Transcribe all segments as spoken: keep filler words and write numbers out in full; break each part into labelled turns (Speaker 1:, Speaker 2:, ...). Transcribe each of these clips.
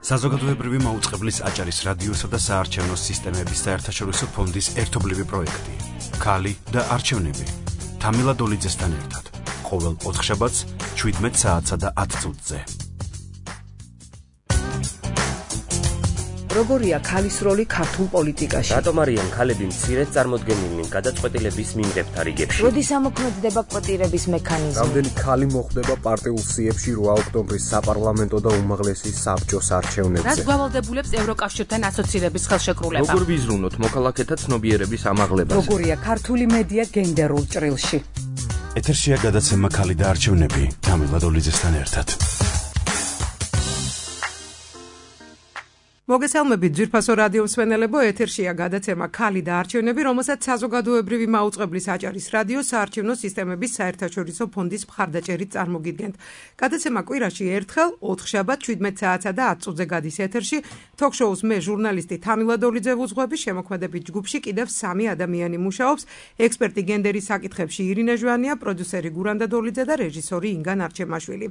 Speaker 1: საზოგადოებრივი მაუწყებლის აჭარის რადიოსა და საარჩევნო სისტემების საერთაშორისო ფონდის ერთობლივი პროექტი. ქალი და არჩევნები. თამილა დოლიძესთან ერთად. ყოველ ოთხშაბათს შვიდმეტ საათსა და ათ წუთზე.
Speaker 2: როგორია ქალის როლი ქართულ პოლიტიკაში?
Speaker 3: რატომ არიან ქალები მცირედ წარმოდგენილნი გადაწყვეტილების მიმღებთა რიგებში?
Speaker 2: როდის ამოქმედდება კვოტირების მექანიზმი?
Speaker 4: რამდენი ქალი მოხვდება პარტიულ სიებში რვა ოქტომბრის საპარლამენტო და უმაღლესი საბჭოს არჩევნებზე?
Speaker 5: რაც გვალავდებულებს ევროკავშირთან ასოცირების ხელშეკრულება?
Speaker 3: როგორ ვიზრუნოთ მოქალაქეთა ცნობიერების ამაღლებას?
Speaker 2: როგორია ქართული მედია გენდერულ ჭრილში?
Speaker 1: ეთერშია გადაცემა ქალი და არჩევნები თამილა დოლიძესთან ერთად.
Speaker 6: მოგესალმებით ძვირფასო რადიო მსმენელებო, ეთერშია გადაცემა ქალი და არჩევნები, რომელსაც საზოგადოებრივი მაუწყებლის აჭარის რადიო საარჩევნო სისტემების საერთაშორისო ფონდის მხარდაჭერით წარმოგიდგენთ. გადაცემა კვირაში ერთხელ, ოთხშაბათ შვიდმეტ საათსა და ათ წუთზე გადის ეთერში. თოქ-შოუს მე ჟურნალისტი თამილა დოლიძე ვუძღვები, შემოქმედებით ჯგუფში კიდევ სამი ადამიანი მუშაობს. ექსპერტი გენდერის საკითხებში ირინე ჟვანია, პროდიუსერი გურანდა დოლიძე და რეჟისორი ინგა ნარჩემაშვილი.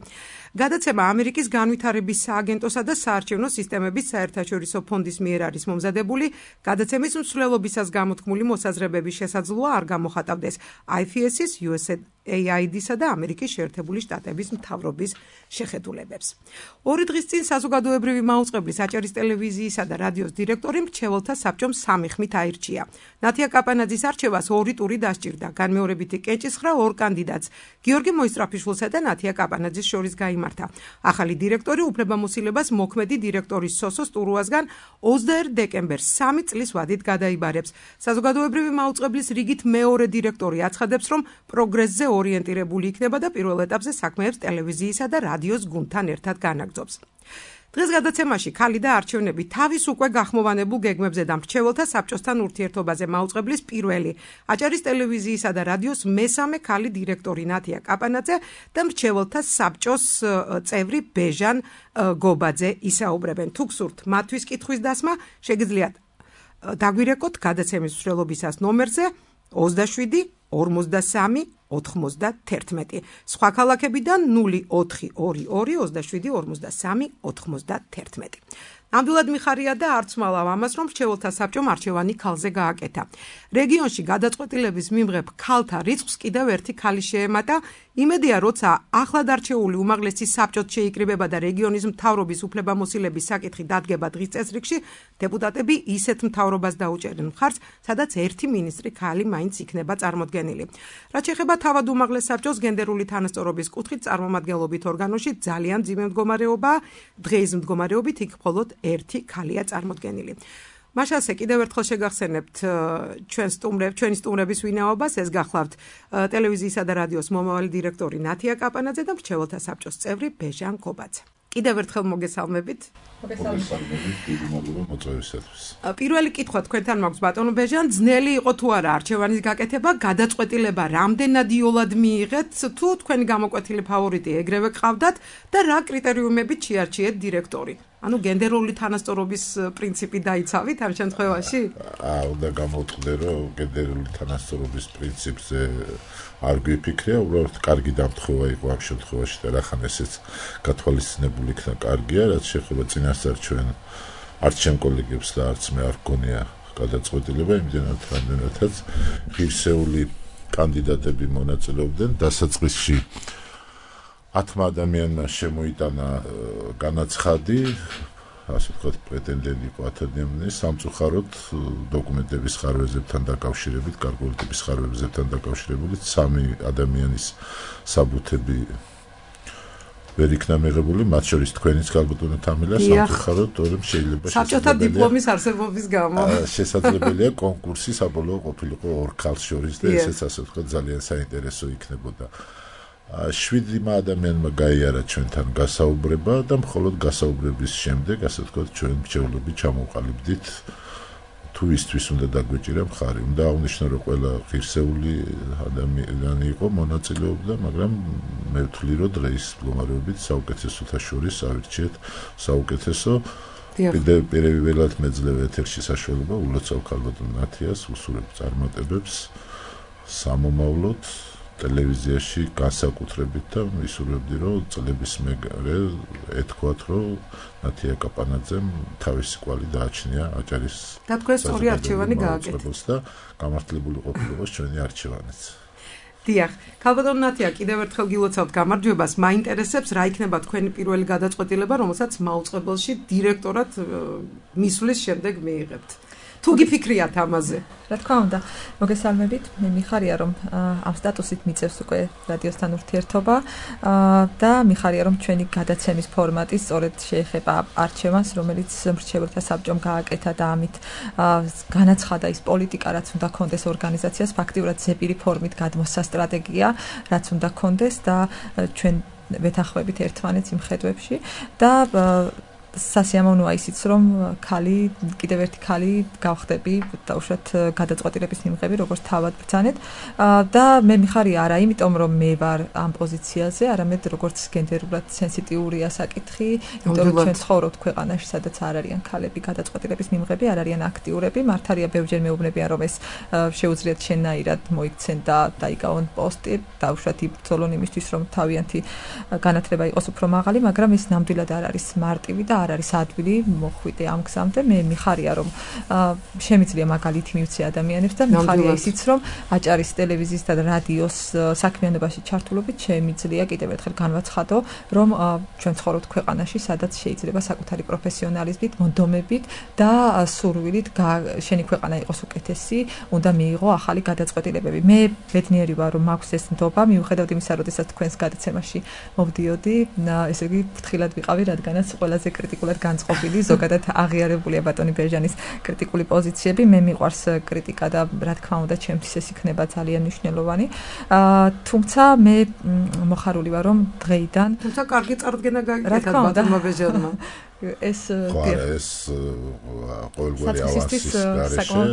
Speaker 6: გადაცემა ამერიკის განვითარების სააგენტოსა და საარჩევნო სისტემების საერთაშორისო საერთაშორისო ფონდის მიერ არის მომზადებული. გადაცემის მსვლელობისას გამოთქმული მოსაზრებების შესაძლოა არ გამოხატავდეს აი ეფ ეს-ის, იუ ეს ეი აი დი-სა და ამერიკის შეერთებული შტატების მთავრობის შეხედულებებს. ორი დღის წინ საზოგადოებრივი მაუწყებლის აჭარის ტელევიზიისა და რადიოს დირექტორი მრჩეველთა საბჭომ სამი ხმით აირჩია. ნათია კაპანაძის არჩევას ორი ტური დასჭირდა. განმეორებითი კენჭისხრა ორ კანდიდატს, გიორგი მოისტრაფიშვილსა და ნათია კაპანაძის შორის გაიმართა. ახალი დირექტორი უფლებამოსილებას მოქმედი დირექტორის სოსოს ტურუასგან ოცდაერთ დეკემბერს სამი წლის ვადით გადაიბარებს. საზოგადოებრივი მაუწყებლის რიგით მეორე დირექტორი აცხადებს, რომ პროგრესზე ორიენტირებული იქნება და პირველ ეტაპზე საქმეებს ტელევიზიისა და რადიოს გუნდთან ერთად განაგრძობს. დღეს გადაცემაში ქალი და არჩევნები თავის უკვე გახმოვანებულ გეგმებზე და მრჩეველთა საბჭოსთან ურთიერთობაზე მაუწყებლის პირველი აჭარის ტელევიზიისა და რადიოს მესამე ქალი დირექტორი ნათია კაპანაძე და მრჩეველთა საბჭოს წევრი ბეჟან გობაძე ისაუბრებენ. თუ გსურთ მათთვის კითხვის დასმა, შეგიძლიათ დაგვირეკოთ გადაცემის მსვლელობისას ნომერზე ოცდაშვიდი ორმოცდასამი ოთხმოცდათერთმეტი. სხვა ქალაქებიდან ნული ოთხი ორი ორი ოცდაშვიდი ორმოცდასამი ოთხმოცდათერთმეტი. ნამდვილად მიხარია და არც მალავ ამას, რომ მრჩეველთა საბჭომ არჩევანი ქალზე გააკეთა. რეგიონში გადაწყვეტილების მიმღებ ქალთა რიცხვს კიდევ ერთი ქალი შეემატა. იმედია, როცა ახლად არჩეული უმაღლესი საბჭოც შეიკრიბება და რეგიონის მთავრობის უფლებამოსილების საკითხი დადგება დღის წესრიგში, დეპუტატები ისეთ მთავრობას დაუჭერენ მხარს, სადაც ერთი მინისტრი ქალი მაინც იქნება წარმოდგენილი. რაც შეეხება თავად უმაღლეს საბჭოს გენდერული თანასწორობის კუთხით წარმომადგენლობით ორგანოში ძალიან მძიმე მდგომარეობაა. დღეის მდგომარეობით იქ მხოლოდ ერთი ქალია წარმოდგენილი. მაშასე კიდევ ერთხელ შეგახსენებთ ჩვენ სტუმრებ, ჩვენი სტუმრების ვინაობას, ეს გახლავთ ტელევიზიისა და რადიოს მომავალი დირექტორი ნათია კაპანაძე და მრჩეველთა საბჭოს წევრი ბეჟან გობაძე. კიდევ ერთხელ მოგესალმებით.
Speaker 7: მოგესალმებით, დიდი მადლობა მოწვევისათვის.
Speaker 6: პირველი კითხვა თქვენთან მაქვს ბატონო ბეჟან, ძნელი იყო თუ არა არჩევანის გაკეთება, გადაწყვეტილება რამდენად იოლად მიიღეთ, თუ თქვენი გამოკვეთილი ფავორიტი ეგრევე გყავდათ და რა კრიტერიუმებით შეარჩიეთ დირექტორი? ანუ გენდერული თანასწორობის პრინციპი დაიცავით ამ შემთხვევაში?
Speaker 7: აა, უნდა გამოვთქვი, რომ გენდერული თანასწორობის პრინციპზე არ გვიფიქრია, უბრალოდ კარგი დამთხევა იყო ამ შემთხვევაში და რახან ესეც გათვალისწინებული იქნა კარგია, რაც შეეხება წინასწარ არც ჩემ კოლეგებს და არც მე არ გქონია გადაწყვეტილება, იმდენად რამდენადაც ღირსეული კანდიდატები მონაწილეობდნენ დასაწყისში. ათმა ადამიანმა შემოიტანა განაცხადი, ასე ვთქვათ, პრეტენდენტი იყო ათ ადამიანი, სამწუხაროდ დოკუმენტების ხარვეზებთან დაკავშირებით, გარკვეული ტიპის ხარვეზებთან დაკავშირებით სამი ადამიანის საბუთები ვერ იქნა მიღებული, მათ შორის თქვენიც გალბატონო თამილა, სამწუხაროდ თორემ შეიძლება
Speaker 6: საბჭოთა დიპლომის არსებობის გამო
Speaker 7: შესაძლებელია კონკურსი საბოლოო ყოფილიყო ორ ქალს შორის და ესეც ასე ვთქვათ ძალიან საინტერესო იქნებოდა. შვიდი ადამიანმა გაიარა ჩვენთან გასაუბრება და მხოლოდ გასაუბრების შემდეგ, ასე ვთქვათ, ჩვენ მრჩევლები ჩამოვყალიბდით თუ ისთვის უნდა დაგვეჭირა მხარი. უნდა აღნიშნო, რომ ყველა ღირსეული ადამიანი იყო, მონაწილეობდა, მაგრამ მე ვთვლი, რომ დღეს მდგომარეობით საუკეთესოთა შორის ავირჩიეთ საუკეთესო. პირველად მეძლევ ეთერში საშუალება ულოცავ ქალბატონ ნათიას, უსურებ წარმატებებს სამომავლოდ ტელევიზიაში განსაკუთრებით და ვისურვებდი რომ წლების მერე ეთქვათ რომ ნათია კაპანაძემ თავისი კვალი დააჩნია აჭარის
Speaker 6: და თქვენ სწორი არჩევანი გააკეთეთ
Speaker 7: და გამართლებული ყოფილიყო ჩვენი არჩევანიც.
Speaker 6: დიახ, ქალბატონ ნათია, კიდევ ერთხელ გილოცავთ გამარჯვებას. მაინტერესებს რა იქნება თქვენი პირველი გადაწყვეტილება, რომელსაც მაუწყებელში დირექტორად მისვლის შემდეგ მიიღებთ. თუ გიფიქრიათ ამაზე?
Speaker 8: რა თქმა უნდა, მოგესალმებით. მე მიხარია რომ ამ სტატუსით მიწევს უკვე რადიოსთან ურთიერთობა და მიხარია რომ ჩვენი გადაცემის ფორმატი სწორედ შეეხება არჩევანს, რომელიც მრჩეველთა საბჭომ გააკეთა და ამით განაცხადა ის პოლიტიკა, რაც უნდა კონდეს ორგანიზაციას, ფაქტიურად ზეპირი ფორმით გადმოსცა სტრატეგია, რაც უნდა კონდეს და ჩვენ ვეთანხმებით ერთმანეთს იმ ხედვებში და სასიამოვნოა ისიც რომ ქალი კიდევ ერთი ქალი გავხდები დაუშვათ გადაწყვეტილების მიმღები როგორც თავად ბრძანეთ და მე მიხარია არა იმიტომ რომ მე ვარ ამ პოზიციაზე არამედ როგორც გენდერულად სენსიტიურია საკითხი იმიტომ რომ ჩვენ ცხოვრობთ ქვეყანაში სადაც არ არიან ქალები გადაწყვეტილების მიმღები არ არიან აქტიურები მართალია ბევრჯერ მეუბნებიან რომ ეს შეუძლიათ შენაირად მოიქცენ და დაიკავონ პოსტი დაუშვათ იბრძოლონ იმისთვის რომ თავიანთი განათლება იყოს უფრო მაღალი მაგრამ ეს ნამდვილად არ არის მარტივი და არ არის ადვილი მოხვიდე ამ გზამდე მე მიხარია რომ შემიძლია მაგალითი მივცე ადამიანებს და მიხარია ისიც რომ აჭარის ტელევიზიის და რადიოს საქმიანობაში ჩართულობით შემიძლია კიდევ ერთხელ განვაცხადო რომ ჩვენ ცხოვრობთ ქვეყანაში სადაც შეიძლება საკუთარი პროფესიონალიზმით მონდომებით და სურვილით შენი ქვეყანა იყოს უკეთესი უნდა მიიღო ახალი გადაწყვეტილებები მე ბედნიერი ვარ რომ მაქვს ეს ნდობა მიუხედავად იმისა როდესაც თქვენს გადაცემაში მოვდიოდი ესე იგი ფრთხილად ვიყავი რადგანაც ყველაზე კრიტიკულად განწყობილი ზოგადად აღიარებულია ბატონი ბერჟანის კრიტიკული პოზიციები მე მიყვარს კრიტიკა და რა თქმა უნდა ჩემთვის ეს იქნება ძალიან მნიშვნელოვანი თუმცა მე მოხარული ვარ რომ დღეიდან
Speaker 6: თუმცა კარგი წარდგენა გაიგეთ ბატონმა ბერჟანმა
Speaker 8: ეს
Speaker 7: ეს ყოველგვარი ავასის გარეშე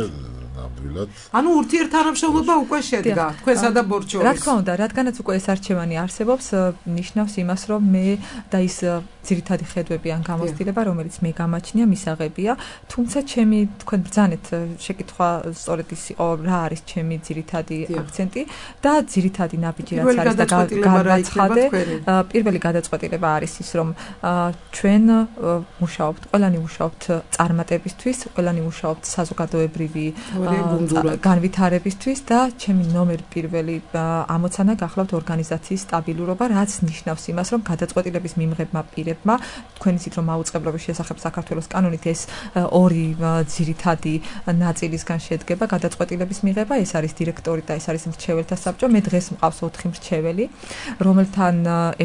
Speaker 7: ნამდვილად
Speaker 6: ანუ ურთიერთთანამშრომლობა უკვე შედგა თქვენსა და ბორჩოვის
Speaker 8: რა თქმა უნდა რადგანაც უკვე ეს არჩევანი არსებობს ნიშნავს იმას რომ მე და ის ძირითადი ხედვები ან გამოცდილება რომელიც მე გამაჩნია მისაღებია თუმცა ჩემი თქვენ ბრძანეთ შეკითხვა სწორედ ის იყო რა არის ჩემი ძირითადი აქცენტი და ძირითადი ნაბიჯი რაც არის და განაცხადე პირველი გადაწყვეტილება არის ის რომ ჩვენ მუშაობთ ყველანი მუშაობთ წარმატებისთვის ყველანი მუშაობთ საზოგადოებრივი განვითარებისთვის და ჩემი ნომერ პირველი ამოცანა გახლავთ ორგანიზაციის სტაბილურობა რაც ნიშნავს იმას რომ გადაწყვეტილების მიმღებმა პირებმა თქვენ იცით რომ მაუწყებლობის შესახებ საქართველოს კანონით ეს ორი ძირითადი ნაწილისგან შედგება გადაწყვეტილების მიღება ეს არის დირექტორი და ეს არის მრჩეველთა საბჭო მე დღეს მყავს ოთხი მრჩეველი რომელთან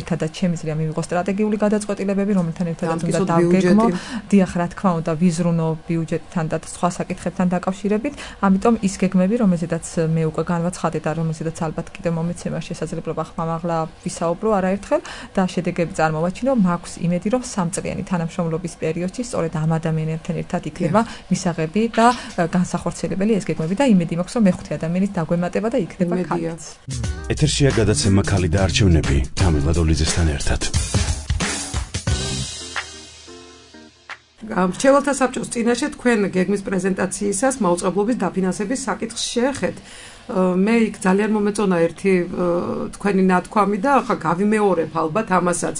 Speaker 8: ერთადაც შემიძლია მივიღო სტრატეგიული გადაწყვეტილებები რომელთან ერთადაც უნდა დავგეგმო დიახ რა თქმა უნდა ვიზრუნო ბიუჯეტთან და სხვა საკითხებთან დაკავშირებით ამიტომ ის გეგმები რომელზედაც მე უკვე განვაცხადე და რომელზედაც ალბათ კიდევ მომეცემა შესაძლებლობა ხმამაღლა ვისაუბრო არაერთხელ და შედეგები წარმოვაჩინო მაქვს იმედი რომ სამწლიანი თანამშრომლობის პერიოდში სწორედ ამ ადამიანებთან ერთად იქნება მისაღები და განსახორციელებელი ეს გეგმები და იმედი მაქვს რომ მეხუთე ადამიანის დაგვემატება და იქნება ქალიც
Speaker 1: ეთერშია გადაცემა ქალი და არჩევნები თამილა დოლიძესთან ერთად
Speaker 6: მრჩეველთა საბჭოს წინაშე თქვენ გეგმის პრეზენტაციისას მაუწყებლობის დაფინანსების საკითხს შეეხეთ მე იქ ძალიან მომეწონა ერთი თქვენი ნათქვამი და ახლა გავიმეორებ ალბათ ამასაც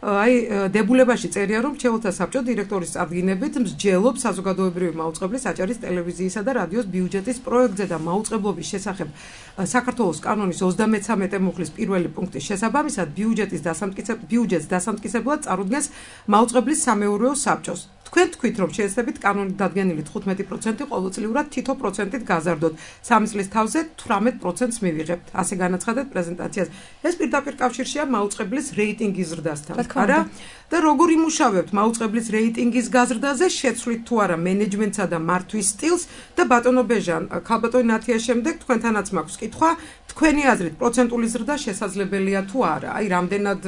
Speaker 6: აი დებულებაში წერია რომ მრჩეველთა საბჭო დირექტორის წარდგინებით მსჯელობს საზოგადოებრივი მაუწყებლის აჭარის ტელევიზიისა და რადიოს ბიუჯეტის პროექტზე და მაუწყებლობის შესახებ საქართველოს კანონის ოცდამეცამეტე მუხლის პირველი პუნქტის შესაბამისად ბიუჯეტის დასამტკიცებლად ბიუჯეტს დასამტკიცებლად წარუდგენს მაუწყებლის სამეურვეო საბჭოს თქვენ თქვით რომ შეეცდებით კანონით დადგენილი თხუთმეტი პროცენტი ყოველწლიურად თითო პროცენტით გაზარდოთ სამი წლის თავზე თვრამეტ პროცენტს მივიღებთ ასე განაცხადეთ პრეზენტაციაზე ეს პირდაპირ კავშირშია მაუწყებლის რეიტინგის ზრდასთან არა და როგორ იმუშავებთ მაუწყებლის რეიტინგის გაზრდაზე შეცვლით თუ არა მენეჯმენტსა და მართვის სტილს და ბატონო ბეჟან ქალბატონი ნათიას შემდეგ თქვენთანაც მაქვს კითხვა თქვენი აზრით პროცენტული ზრდა შესაძლებელია თუ არა აი რამდენად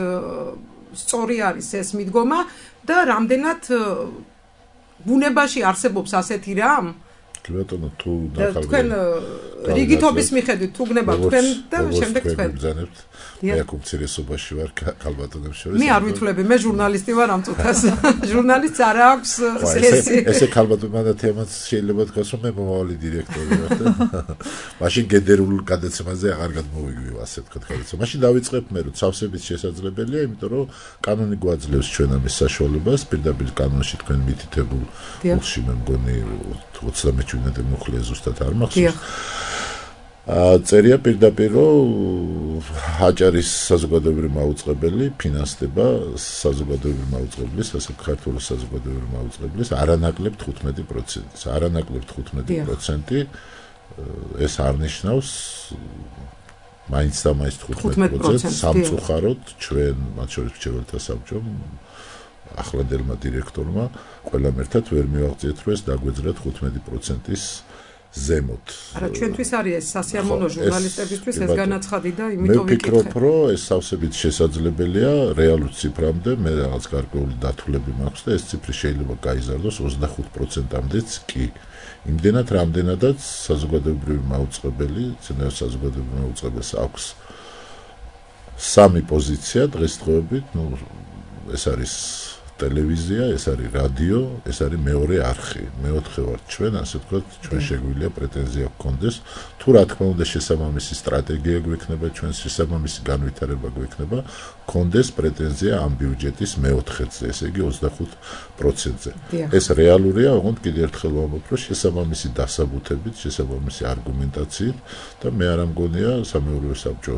Speaker 6: სწორი არის ეს მიდგომა და რამდენად ბუნებაში არსებობს ასეთი რამ
Speaker 7: ბატონო თუ
Speaker 6: თქვენ რიგითობის მიხედვით თუ გნება თქვენ და შემდეგ თქვენ
Speaker 7: ბრძანებთ მე აქ უმცირესობაში ვარ ქალბატონებს შორის
Speaker 6: მე არ ვითვლები მე ჟურნალისტი ვარ ამ წუთას ჟურნალისტს არ აქვს
Speaker 7: ესე ესე ქალბატონმა და თემაც შეიძლება თქვას რომ მე მომავალი დირექტორი ვარ და მაშინ გენდერულ გადაცემაზე აღარ გადმოვიგივ ასე თქვა გადაცემა მაშინ დავიწყებ მე რომ ცავსებით შესაძლებელია იმიტომ რომ კანონი გვაძლევს ჩვენ ამის საშუალებას პირდაპირ კანონში თქვენ მითითებულ უხში მე მგონი ოცდამეტი ჩვენამდე მოხლია ზუსტად არ მახსოვს წერია პირდაპირ რომ აჭარის საზოგადოებრივი მაუწყებელი ფინანსდება საზოგადოებრივი მაუწყებლის ასე ქართული საზოგადოებრივი მაუწყებლის არანაკლებ თხუთმეტი პროცენტს არანაკლებ თხუთმეტი პროცენტი ეს არნიშნავს მაინც და მაინც თხუთმეტი პროცენტს სამწუხაროდ ჩვენ მათ შორის მრჩეველთა საბჭომ ახლანდელმა დირექტორმა ყველამ ერთად ვერ მივაღწიეთ რომ ეს დაგვეძრა თხუთმეტი პროცენტის ზემოთ.
Speaker 6: არა, ჩვენთვის არის ეს სასიამოვნო ჟურნალისტებისთვის ეს განაცხადი და იმიტომ ვიკითხე.
Speaker 7: მე ვფიქრობ, რომ ეს სავსებით შესაძლებელია რეალურ ციფრამდე, მე რაღაც გარკვეული დათვლები მაქვს და ეს ციფრი შეიძლება გაიზარდოს ოცდახუთ პროცენტამდეც კი. იმდენად, რამდენადაც საზოგადოებრივი მაუწყებელი, ცენერ საზოგადოებრივი მაუწყებელს აქვს სამი პოზიცია დღესდღეობით, ну, ეს არის ტელევიზია, ეს არის რადიო, ეს არის მეორე არხი. მეოთხე ვარ ჩვენ, ასე ვთქვათ, ჩვენ შეგვიძლია პრეტენზია გქონდეს, თუ რა თქმა უნდა შესაბამისი სტრატეგია გვექნება, ჩვენ შესაბამისი განვითარება გვექნება, გქონდეს პრეტენზია ამ ბიუჯეტის მეოთხედზე, ესე იგი ოცდახუთ პროცენტზე. ეს რეალურია, ოღონდ კიდევ ერთხელ ვამბობ, რომ შესაბამისი დასაბუთებით, შესაბამისი არგუმენტაციით და მე არ ამგონია სამეურვეო საბჭო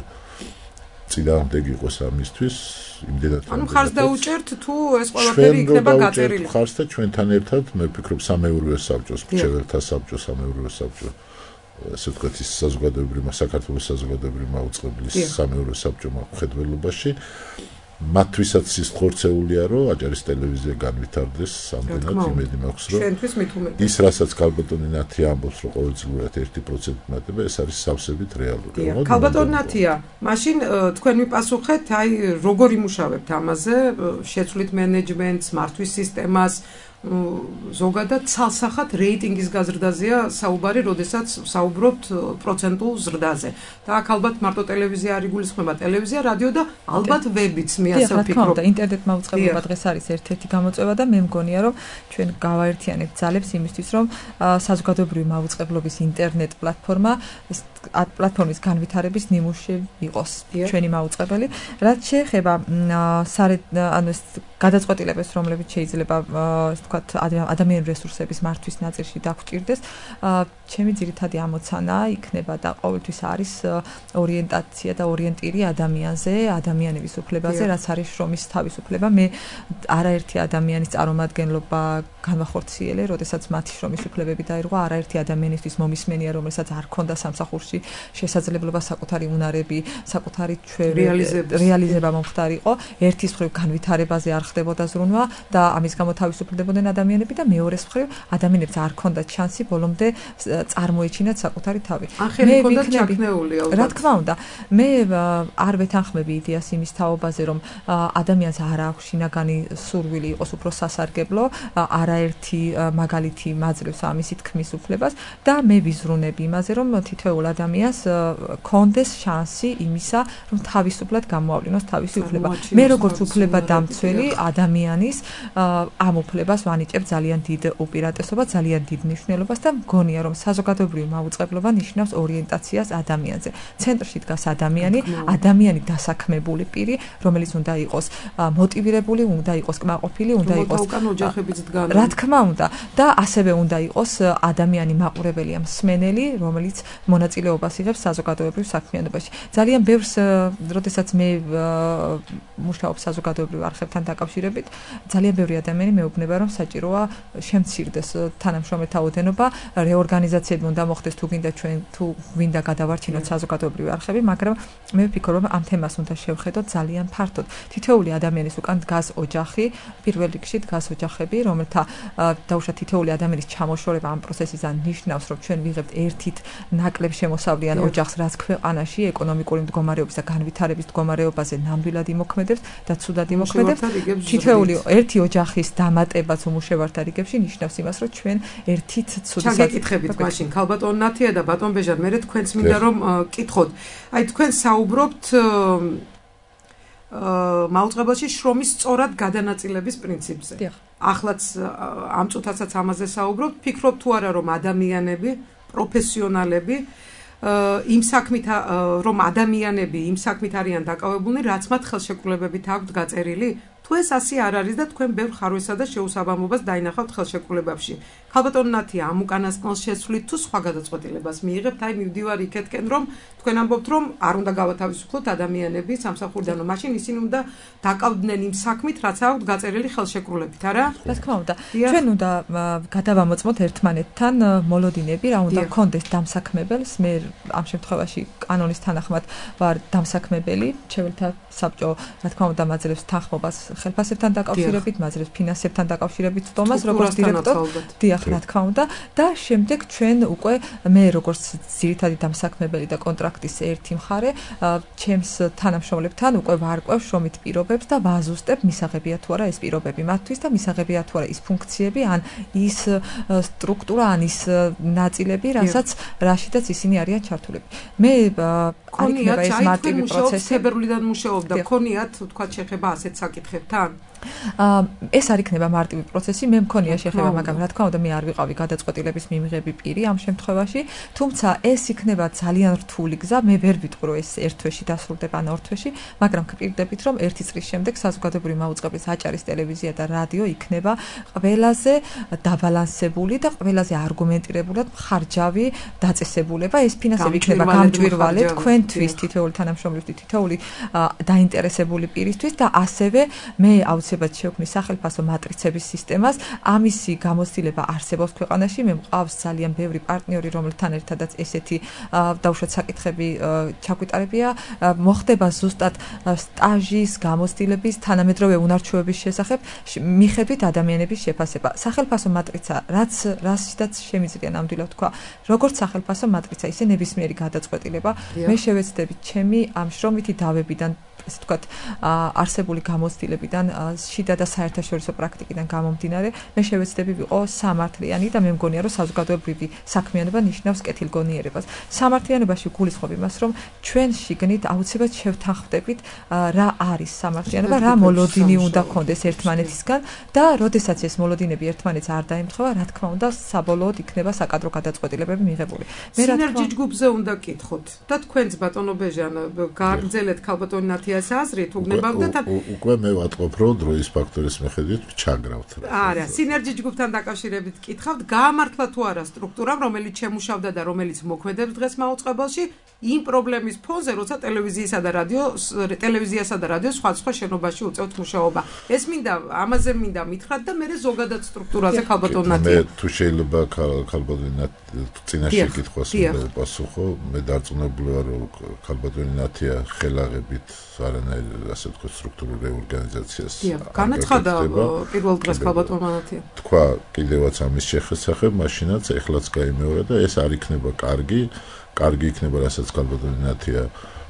Speaker 7: წინააღმდეგ იყოს ამისთვის იმდენად
Speaker 6: ანუ ხარს დაუჭერთ თუ ეს ყველაფერი იქნება გაწერილი
Speaker 7: ხარს და ჩვენთან ერთად მე ვფიქრობ სამეურვეო საბჭოს მრჩეველთა საბჭო სამეურვეო საბჭო ასე ვთქვათ ის საზოგადოებრივი საქართველოს საზოგადოებრივი მაუწყებლის სამეურვეო საბჭო მხედველობაში მათთვისაც ის ხორცეულია რომ აჭარის ტელევიზია განვითარდეს სამდენად იმედი მაქვს რომ
Speaker 6: ჩვენთვის მით უმეტეს
Speaker 7: ის რასაც ქალბატონი ნათია ამბობს რომ ყოველწლიურად ერთი პროცენტი მატება ეს არის სავსებით რეალური
Speaker 6: ქალბატონი ნათია მაშინ თქვენ მიპასუხეთ აი როგორ იმუშავებთ ამაზე შეცვლით მენეჯმენტს მართვის სისტემას ზოგადად ცალსახად რეიტინგის გაზრდაზეა საუბარი, როდესაც საუბრობთ პროცენტულ ზრდაზე. და აქ ალბათ მარტო ტელევიზია არ იგულისხმება, ტელევიზია, რადიო და ალბათ ვებიც, მე ასე ვფიქრობ.
Speaker 8: და ინტერნეტ მაუწყებლობა დღეს არის ერთ-ერთი გამოწვევა და მე მგონია, რომ ჩვენ გავაერთიანებთ ძალებს იმისთვის, რომ საზოგადოებრივი მაუწყებლობის ინტერნეტ პლატფორმა პლატფორმის განვითარების ნიმუში იყოს ჩვენი მაუწყებელი. რაც შეეხება ანუ ეს გადაწყვეტილებებს, რომლებიც შეიძლება ვთქვათ ადამიანური რესურსების მართვის ნაწილში დაგვჭირდეს, ჩემი ძირითადი ამოცანა იქნება და ყოველთვის არის ორიენტაცია და ორიენტირი ადამიანზე, ადამიანების უფლებაზე, რაც არის შრომის თავისუფლება. მე არაერთი ადამიანის წარმომადგენლობა განვახორციელე, როდესაც მათი შრომის უფლებები დაირღვა, არაერთი ადამიანისთვის მომისმენია, რომელსაც არ ქონდა სამსახურში შესაძლებლობა საკუთარი უნარები, საკუთარი რეალიზება მომხდარიყო, ერთის მხრივ განვითარებაზე არ ხდებოდა ზრუნვა და ამის გამო თავისუფლდებოდნენ ადამიანები და მეორეს მხრივ ადამიანებს არ ქონდათ შანსი ბოლომდე წარმოეჩინათ საკუთარი თავი.
Speaker 6: მე ვიქნები
Speaker 8: რა თქმა უნდა, მე არ ვეთანხმები იდეას იმის თაობაზე, რომ ადამიანს არ აქვს შინაგანი სურვილი იყოს უფრო სასარგებლო, არაერთი მაგალითი მაძლევს ამისი თქმის უფლებას და მე ვიზრუნები იმაზე, რომ თითოეულ ადამიანს ქონდეს შანსი იმისა, რომ თავისუფლად გამოავლინოს თავისი უფლება. მე როგორც უფლება დამცველი ადამიანის ამ უფლებას ვანიჭებ ძალიან დიდ უპირატესობას, ძალიან დიდ მნიშვნელობას და მგონია, რომ საზოგადოებრივი მაუწყებლობა ნიშნავს ორიენტაციას ადამიანზე. ცენტრში დგას ადამიანი, ადამიანი დასაქმებული პირი, რომელიც უნდა იყოს მოტივირებული, უნდა იყოს კმაყოფილი, უნდა იყოს რა თქმა უნდა და ასევე უნდა იყოს ადამიანი მაყურებელი, მსმენელი, რომელიც მონაწილეობას იღებს საზოგადოებრივ საქმიანობაში. ძალიან ბევრს, როდესაც მე მუშაობ საზოგადოებრივ არხებთან დაკავშირებით, ძალიან ბევრი ადამიანი მეუბნება, რომ საჭიროა შემცირდეს თანამშრომელთა ოდენობა, რეორგანიზაცია პრივატიზაციები უნდა მოხდეს თუ გინდა ჩვენ თუ გვინდა გადავარჩინოთ საზოგადოებრივი არხები, მაგრამ მე ვფიქრობ, რომ ამ თემას უნდა შევხედოთ ძალიან ფართოდ. თითოეული ადამიანის უკან დგას ოჯახი, პირველ რიგში დგას ოჯახები, რომელთა დაუშვათ თითოეული ადამიანის ჩამოშორება ამ პროცესიდან ნიშნავს, რომ ჩვენ ვიღებთ ერთით ნაკლებ შემოსავლიან ოჯახს, რაც ქვეყანაში ეკონომიკური მდგომარეობის და განვითარების მდგომარეობაზე ნამდვილად იმოქმედებს და ცუდად იმოქმედებს. თითოეული ერთი ოჯახის დამატებაც უმუშევართა რიგებში ნიშნავს იმას, რომ ჩვენ ერთით ცუდი
Speaker 6: ჩაგეკითხებით მაშინ ქალბატონ ნათია და ბატონ ბეჟან, მე თქვენს მინდა რომ კითხოთ. აი თქვენ საუბრობთ მაუწყებელში შრომის სწორად გადანაწილების პრინციპზე. ახლაც ამ წუთასაც ამაზე საუბრობთ, ფიქრობთ თუ არა რომ ადამიანები, პროფესიონალები იმ საქმით რომ ადამიანები იმ საქმით არიან დაკავებულნი, რაც მათ ხელშეკრულებებით აქვთ გაწერილი? თუ ეს ასე არ არის და თქვენ ბევრ ხარვესა და შეუსაბამობას დაინახავთ ხელშეკრულებებში. ქალბატონ ნათია, ამ უკანასკნელს შეცვლით თუ სხვა გადაწყვეტილებას მიიღებთ? აი მივდივარ იქეთკენ, რომ თქვენ ამბობთ, რომ არ უნდა გავათავისუფლოთ ადამიანები სამსახურიდან, რომ მაშინ ისინი უნდა დაკავდნენ იმ საქმით, რაც აქვთ გაწერილი ხელშეკრულებით, არა?
Speaker 8: რა თქმა უნდა. ჩვენ უნდა გადავამოწმოთ ერთმანეთთან მოლოდინები, რა უნდა გქონდეს დამსაქმებელს. მე ამ შემთხვევაში კანონის თანახმად ვარ დამსაქმებელი, მრჩეველთა საბჭო, რა თქმა უნდა, მაძლევს თანხმობას ხელფასებთან დაკავშირებით, მაძლევს ფინანსებთან დაკავშირებით სტომას, როგორც დირექტორ. დიახ, რა თქმა უნდა, და შემდეგ ჩვენ უკვე მე როგორც ძირითადი დამსაქმებელი და კონტრაქტის ერთი მხარე, ჩემს თანამშრომლებთან უკვე ვარკვევ შრომით პირობებს და ვაზუსტებ მისაღებია თუ არა ეს პირობები მათთვის და მისაღებია თუ არა ის ფუნქციები, ან ის სტრუქტურა, ან ის ნაწილები, რასაც რაშიდაც ისინი არიან ჩართულები. მე არ იქნება ეს მარტივი პროცესი.
Speaker 6: თებერვლიდან მუშაობდა, ქონიათ თქვა შეხება ასეთ საკითხებთან?
Speaker 8: ეს არ იქნება მარტივი პროცესი, მე მქონია შეხება, მაგრამ რა თქმა უნდა მე არ ვიყავი გადაწყვეტილების მიმღები პირი ამ შემთხვევაში, თუმცა ეს იქნება ძალიან რთული გზა, მე ვერ ვიტყვი რომ ეს ერთ თვეში დასრულდება ან ორ თვეში, მაგრამ გპირდებით რომ ერთი წლის შემდეგ საზოგადოებრივი მაუწყებლის აჭარის ტელევიზია და რადიო იქნება ყველაზე დაბალანსებული და ყველაზე არგუმენტირებულად მხარჯავი დაწესებულება. ეს ფინანსები იქნება გამჭვირვალე თქვენთვის, თითოეული თანამშრომლისთვის, თითოეული დაინტერესებული პირისთვის და ასევე მე აუცილებლად შევქმნი სახელმწიფო მატრიცების სისტემას. ამისი გამოცდილება არსებობს ქვეყანაში. მე მყავს ძალიან ბევრი პარტნიორი, რომელთან ერთადაც ესეთი დაუშვათ საკითხები ჩაგვიტარებია. მოხდება ზუსტად სტაჟის, გამოცდილების, თანამედროვე უნარჩვევების შესახებ მიხედვით ადამიანების შეფასება. სახელმწიფო მატრიცა, რაც რასიდაც შემიძლია ნამდვილად თქვა, როგორც სახელმწიფო მატრიცა, ისე ნებისმიერი გადაწყვეტილება მე შევეცდები ჩემი ამ შრომითი დავებიდან, ესე ვთქვათ, არსებული გამოცდილებიდან, შიდა და საერთაშორისო პრაქტიკიდან გამომდინარე, მე შევეცდები ვიყო სამართლიანი და მე მგონია, რომ საზოგადოებრივი საქმიანობა ნიშნავს კეთილგონიერებას. სამართლიანობაში გულისხმობ იმას, რომ ჩვენ შიგნით აუცილებლად შევთანხმდებით რა არის სამართლიანობა, რა მოლოდინი უნდა გქონდეს ერთმანეთისგან და როდესაც ეს მოლოდინები ერთმანეთს არ დაემთხვევა, რა თქმა უნდა, საბოლოოდ იქნება საკადრო გადაწყვეტილებები მიღებული.
Speaker 6: მე რა თქმა უნდა სინერგიჯგუფზე უნდა კითხოთ და თქვენც ბატონო ბეჟან გააგრძელეთ ქალბატონ ნათიას აზრით, უგნებავდეთ
Speaker 7: უკვე მე ვატყობ, რომ დროის ფაქტორის მიხედვით ჩაგრავთ.
Speaker 6: არა, სინერგიჯგუფთან დაკავშირებით კითხავთ, გაამართლა თუ არა სტრუქტურამ, რომელიც შემუშავდა და რომელიც მოქმედებს დღეს მაუწყებელში, იმ პრობლემის ფონზე, როცა ტელევიზიისა და რადიო ტელევიზიასა და რადიო სხვადასხვა შენობაში უწევთ მუშაობა. ეს მინდა, ამაზე მინდა მითხრათ და მე ზოგადად სტრუქტურაზე ქალბატონ ნათია.
Speaker 7: მე თუ შეიძლება ქალბატონ წინაშე კითხვას ვაპასუხო, მე დარწმუნებული ვარ, რომ ქალბატონ ნათია ხელაღებით არანაირ ასე ვთქვათ სტრუქტურულ რეორგანიზაციას
Speaker 6: განაცხადა პირველ დღეს ქალბატონმა ნათია.
Speaker 7: თქვა კიდევაც ამის შესახებ, მაშინაც ეხლაც გაიმეორა და ეს არ იქნება კარგი, კარგი იქნება, რასაც ქალბატონ ნათია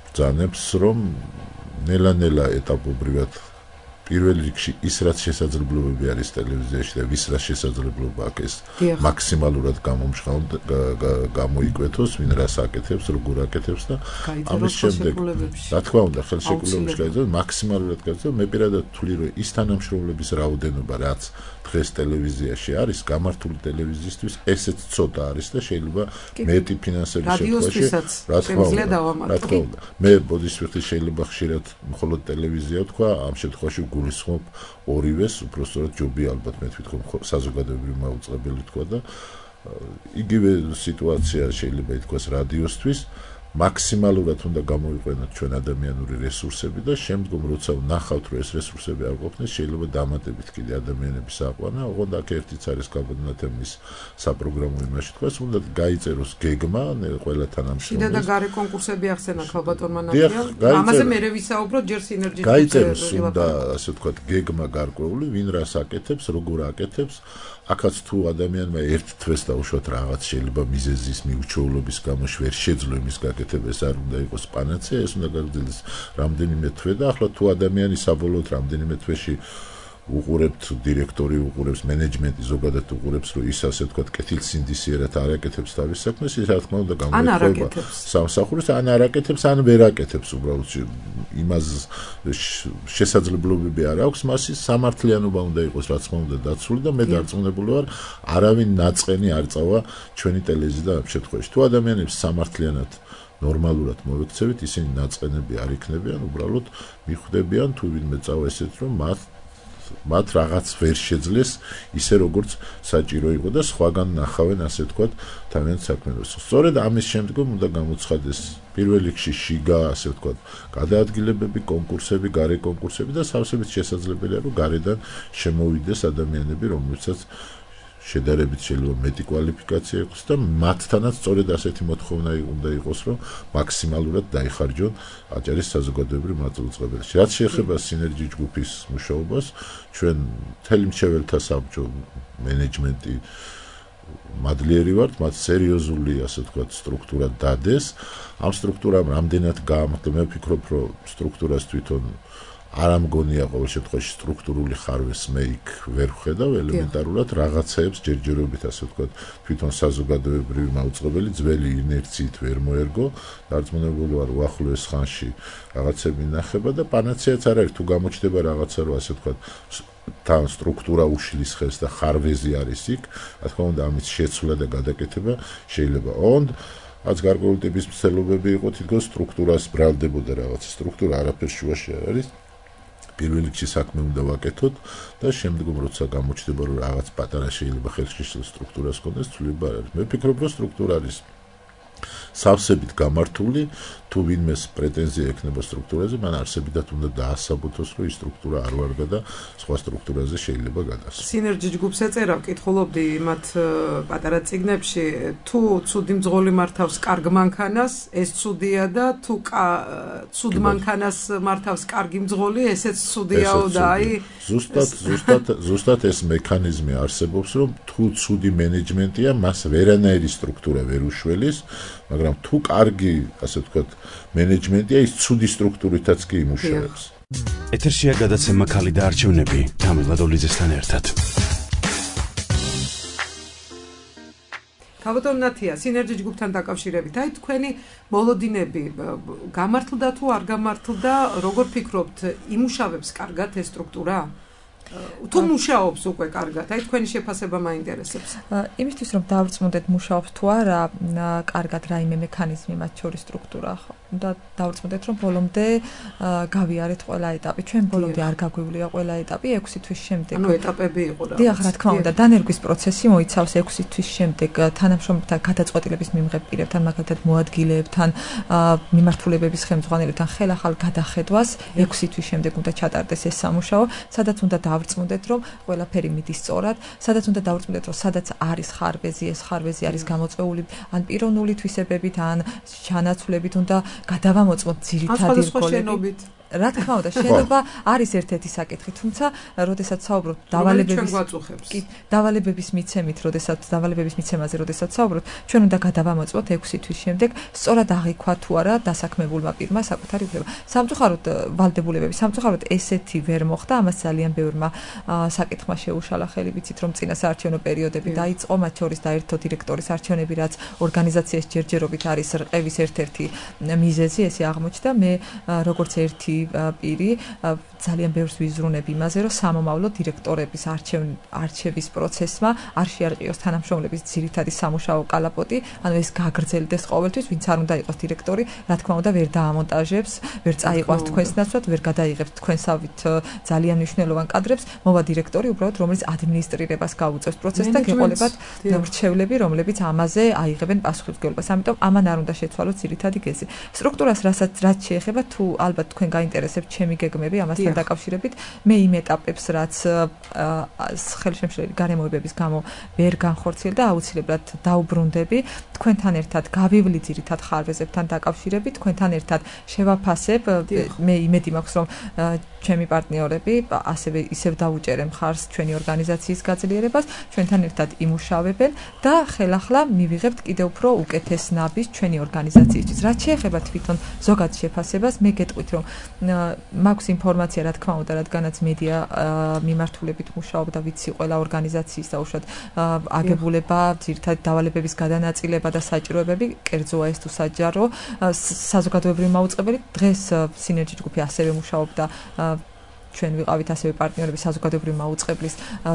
Speaker 7: ბრძანებს, რომ ნელა-ნელა ეტაპობრივად პირველ რიგში ის რაც შესაძლებლობები არის ტელევიზიაში და ვის რა შესაძლებლობა აქვს ეს მაქსიმალურად გამომშრალ გამოიკვეთოს, ვინ რას აკეთებს, როგორ აკეთებს და ამის შემდეგ რა თქმა უნდა ხელშეკრულებებში გაიძულოს მაქსიმალურად გაიძულოს. მე პირადად ვთვლი, რომ ის თანამშრომლების რაოდენობა რაც დღეს ტელევიზიაში არის, გამართული ტელევიზიისთვის ესეც ცოტა არის და შეიძლება მეტი ფინანსების შემთხვევაში რა თქმა უნდა. მე ბოდისვიხტი შეიძლება ხშირად მხოლოდ ტელევიზია თქვა, ამ შემთხვევაში გულისხმობ ორივეს, უпростоრად ჯობია ალბათ მე თვითონ საზოგადოებრივი მაუწყებელი თქვა და იგივე სიტუაცია შეიძლება ითქვას რადიოსთვის, მაქსიმალურად უნდა გამოიყენოთ ჩვენ ადამიანური რესურსები და შემდგომ როცა ვნახავთ რომ ეს რესურსები არ ყოფნის შეიძლება დამატებით კიდე ადამიანების აყვანა. ოღონდ აქ ერთიც არის გაბედნათების საპროგრამო იმაში თქვას, უნდა გაიწეროს გეგმა ყველა თანამშრომელს.
Speaker 6: შიდა და გარე კონკურსები ახსენა ქალბატონმა ნათია. ამაზე მერე ვისაუბროთ ჯერ სინერგიის
Speaker 7: გაიწეროს უნდა ასე ვთქვათ გეგმა გარკვეული, ვინ რას აკეთებს, როგორ აკეთებს. აქაც თუ ადამიანმა ერთ თვეს დაუშვათ რაღაც შეიძლება მიზეზის მიუჩვეულობის გამო ვერ შეძლო იმის გაკეთება, ეს არ უნდა იყოს პანაცეა, ეს უნდა გაგრძელდეს რამდენიმე თვე და ახლა თუ ადამიანი საბოლოოდ რამდენიმე თვეში უყურებთ დირექტორი, უყურებს მენეჯმენტი, ზოგადად უყურებს, რომ ის ასე ვთქვათ კეთილსინდისიერად არ აკეთებს თავის საქმეს, ის რა თქმა უნდა გამოიხება სამსახურს, ან არ აკეთებს, ან ვერ აკეთებს უბრალოდ იმას შესაძლებლობები არ აქვს, მას ის სამართლიანობა უნდა იყოს, რა თქმა უნდა დაცული და მე დარწმუნებული ვარ, არავინ ნაწყენი არ წავა ჩვენი ტელევიზია და ამ შემთხვევაში. თუ ადამიანებს სამართლიანად ნორმალურად მოვექცევით, ისინი ნაწყენები არ იქნებიან, უბრალოდ მიხვდებიან თუ ვინმე წავა ესეთ რომ მათ მათ რაღაც ვერ შეძლეს ისე როგორც საჭირო იყო და სხვაგან ნახავენ ასე ვთქვათ თავიანთ საქმიანობას. სწორედ ამის შემდგომ უნდა გამოცხადდეს პირველ რიგში შიგა ასე ვთქვათ გადაადგილებები, კონკურსები, გარე კონკურსები და სავსებით შესაძლებელია რომ გარედან შემოვიდეს ადამიანები, რომლებსაც შედარებით შეიძლება მეტი კვალიფიკაცია იყოს და მათთანაც სწორედ ასეთი მოთხოვნა უნდა იყოს, რომ მაქსიმალურად დაიხარჯონ აჭარის საზოგადოებრივ მაწუწებელში. რაც შეეხება სინერგიის ჯგუფის მუშაობას, ჩვენ მთელი მრჩეველთა საბჭო მენეჯმენტი მადლიერი ვართ, მათ სერიოზული ასე ვთქვათ სტრუქტურა დადეს. ამ სტრუქტურამ რამდენად გაამართლა, მე ვფიქრობ, რომ სტრუქტურას თვითონ არ ამგონია ყოველ შემთხვევაში სტრუქტურული ხარვეს მე იქ ვერ ვხედავ ელემენტარულად რაღაცეებს ჯერჯერობით ასე ვთქვათ თვითონ საზოგადოებრივი მაუწყებელი ძველი ინერციით ვერ მოერგო დარწმუნებული ვარ უახლოეს ხანში რაღაცები ნახება და პანაცეაც არ არის თუ გამოჩნდება რაღაცა რომ ასე ვთქვათ თან სტრუქტურა უშლის ხელს და ხარვეზი არის იქ რა თქმა უნდა ამის შეცვლა და გადაკეთება შეიძლება ოღონდ რაც გარკვეული ტიპის მცდელობები იყო თითქოს სტრუქტურას ბრალდებოდა რაღაც სტრუქტურა არაფერ შუაში არ არის პირველ რიგში საქმე უნდა ვაკეთოთ და შემდგომ როცა გამოჩნდება რომ რაღაც პატარა შეიძლება ხელშეშლილ სტრუქტურას ქონდეს თვლება არ არის მე ვფიქრობ რომ სტრუქტურა არის სავსებით გამართული თუ ვინმეს პრეტენზია ექნება სტრუქტურაზე მან არსებითად უნდა დაასაბუთოს რომ ის სტრუქტურა არ ვარგა და სხვა სტრუქტურაზე შეიძლება გადასვა
Speaker 6: სინერგიის ჯგუფს ეწერა ვკითხულობდი მათ პატარა წიგნებში თუ ცუდი მძღოლი მართავს კარგ მანქანას ეს ცუდია და თუ ცუდ მანქანას მართავს კარგი მძღოლი ესეც ცუდიაო და აი
Speaker 7: ზუსტად ზუსტად ზუსტად ეს მექანიზმი არსებობს რომ თუ ცუდი მენეჯმენტია მას ვერანაირი სტრუქტურა ვერ უშველის მაგრამ თუ კარგი ასე ვთქვათ მენეჯმენტია ის ცუდი სტრუქტურითაც კი იმუშავებს.
Speaker 1: ეთერშია გადაცემა ქალი და არჩევნები თამილა დოლიძესთან ერთად.
Speaker 6: ქალბატონ ნათია, სინერგიის ჯგუფთან დაკავშირებით, აი თქვენი მოლოდინები გამართლდა თუ არ გამართლდა, როგორ ფიქრობთ, იმუშავებს კარგად ეს სტრუქტურა? თუ მუშაობს უკვე კარგად, აი თქვენი შეფასება მაინტერესებს.
Speaker 8: იმისთვის რომ დავწმუნდეთ მუშაობს თუ არა, კარგად რაიმე მექანიზმი მათ შორის სტრუქტურა ხო? და დავწმუნდეთ რომ ბოლომდე გავიარეთ ყველა ეტაპი. ჩვენ ბოლომდე არ გაგვივლია ყველა ეტაპი ექვსი თვის შემდეგ.
Speaker 6: ანუ ეტაპები იყო რა.
Speaker 8: დიახ, რა თქმა უნდა, დანერგვის პროცესი მოიცავს ექვსი თვის შემდეგ თანამშრომლებთან გადაწყვეტილების მიმღებ პირებთან, მაგალითად მოადგილეებთან, მიმართულებების ხელმძღვანელებთან ხელახალ გადახედვას ექვსი თვის შემდეგ უნდა ჩატარდეს ეს სამუშაო, სადაც უნდა დავწმუნდეთ რომ ყველაფერი მიდის სწორად, სადაც უნდა დავწმუნდეთ რომ სადაც არის ხარვეზი, ეს ხარვეზი არის გამოწვეული ან პიროვნული თვისებებით, ან ჩანაცვლებით უნდა გადავამოწმოთ ძირითადი რგოლები. რა თქმა უნდა, შენობა არის ერთ-ერთი საკითხი, თუმცა როდესაც საუბრობთ დავალებების კი, დავალებების მიცემით, როდესაც დავალებების მიცემაზე, როდესაც საუბრობთ, ჩვენ უნდა გადავამოწმოთ ექვსი თვის შემდეგ, სწორად აღიქვა თუ არა დასაქმებულმა პირმა საკუთარი უფლება. სამწუხაროდ ვალდებულებები, სამწუხაროდ ესეთი ვერ მოხდა, ამას ძალიან ბევრმა საკითხმა შეუშალა ხელი, ვიცით რომ წინა საარჩევნო პერიოდები დაიწყო, მათ შორის დაერთო დირექტორის არჩევნები, რაც ორგანიზაციის ჯერჯერობით არის რყევის ერთ-ერთი მიზეზი, ესე აღმოჩნდა. მე როგორც ერთი პირი ძალიან ბევრს ვიზრუნებ იმაზე, რომ სამომავლო დირექტორების არჩევის პროცესმა არ შეარყიოს თანამშრომლების ძირითადი სამუშაო კალაპოტი, ანუ ეს გაგრძელდეს ყოველთვის, ვინც არ უნდა იყოს დირექტორი, რა თქმა უნდა, ვერ დაამონტაჟებს, ვერ წაიყვანს თქვენს ნაცვლად, ვერ გადაიღებს თქვენსავით ძალიან მნიშვნელოვან კადრებს, მოვა დირექტორი, უბრალოდ რომელიც ადმინისტრირებას გაუწევს პროცესს და გეყოლებათ მრჩევლები, რომლებიც ამაზე აიღებენ პასუხისმგებლობას. ამიტომ ამან არ უნდა შეცვალოს ძირითადი გეზი. სტრუქტურას რასაც რაც შეეხება, თუ ალბათ თქვენ გაინტერესებთ ჩემი გეგმები ამასთან დაკავშირებით, მე იმ ეტაპებს, რაც ხელშემშლელი გარემოებების გამო ვერ განხორციელდა, აუცილებლად დაუბრუნდები. თქვენთან ერთად გავივლი ძირითად ხარვეზებთან დაკავშირებით, თქვენთან ერთად შევაფასებ. მე იმედი მაქვს, რომ ჩემი პარტნიორები ასევე ისევ დაუჭერენ ხარს ჩვენი ორგანიზაციის გაძლიერებას, ჩვენთან ერთად იმუშავებენ და ხელახლა მივიღებთ კიდევ უფრო უკეთეს ნაბიჯს ჩვენი ორგანიზაციისთვის. რაც შეეხება თვითონ ზოგად შეფასებას, მე გეტყვით, რომ მაქვს ინფორმაცია, რა თქმა უნდა, რადგანაც მედია მიმართულებით მუშაობ და ვიცი ყველა ორგანიზაციის და უშუალოდ აგებულება, ძირითადად დავალებების გადანაწილება და საჭიროებები, კერძოა ეს თუ საჯარო, საზოგადოებრივი მაუწყებელი დღეს სინერჯი ჯგუფი ასევე მუშაობდა ჩვენ ვიყავით ასევე პარტნიორები საზოგადოებრივი მაუწყებლის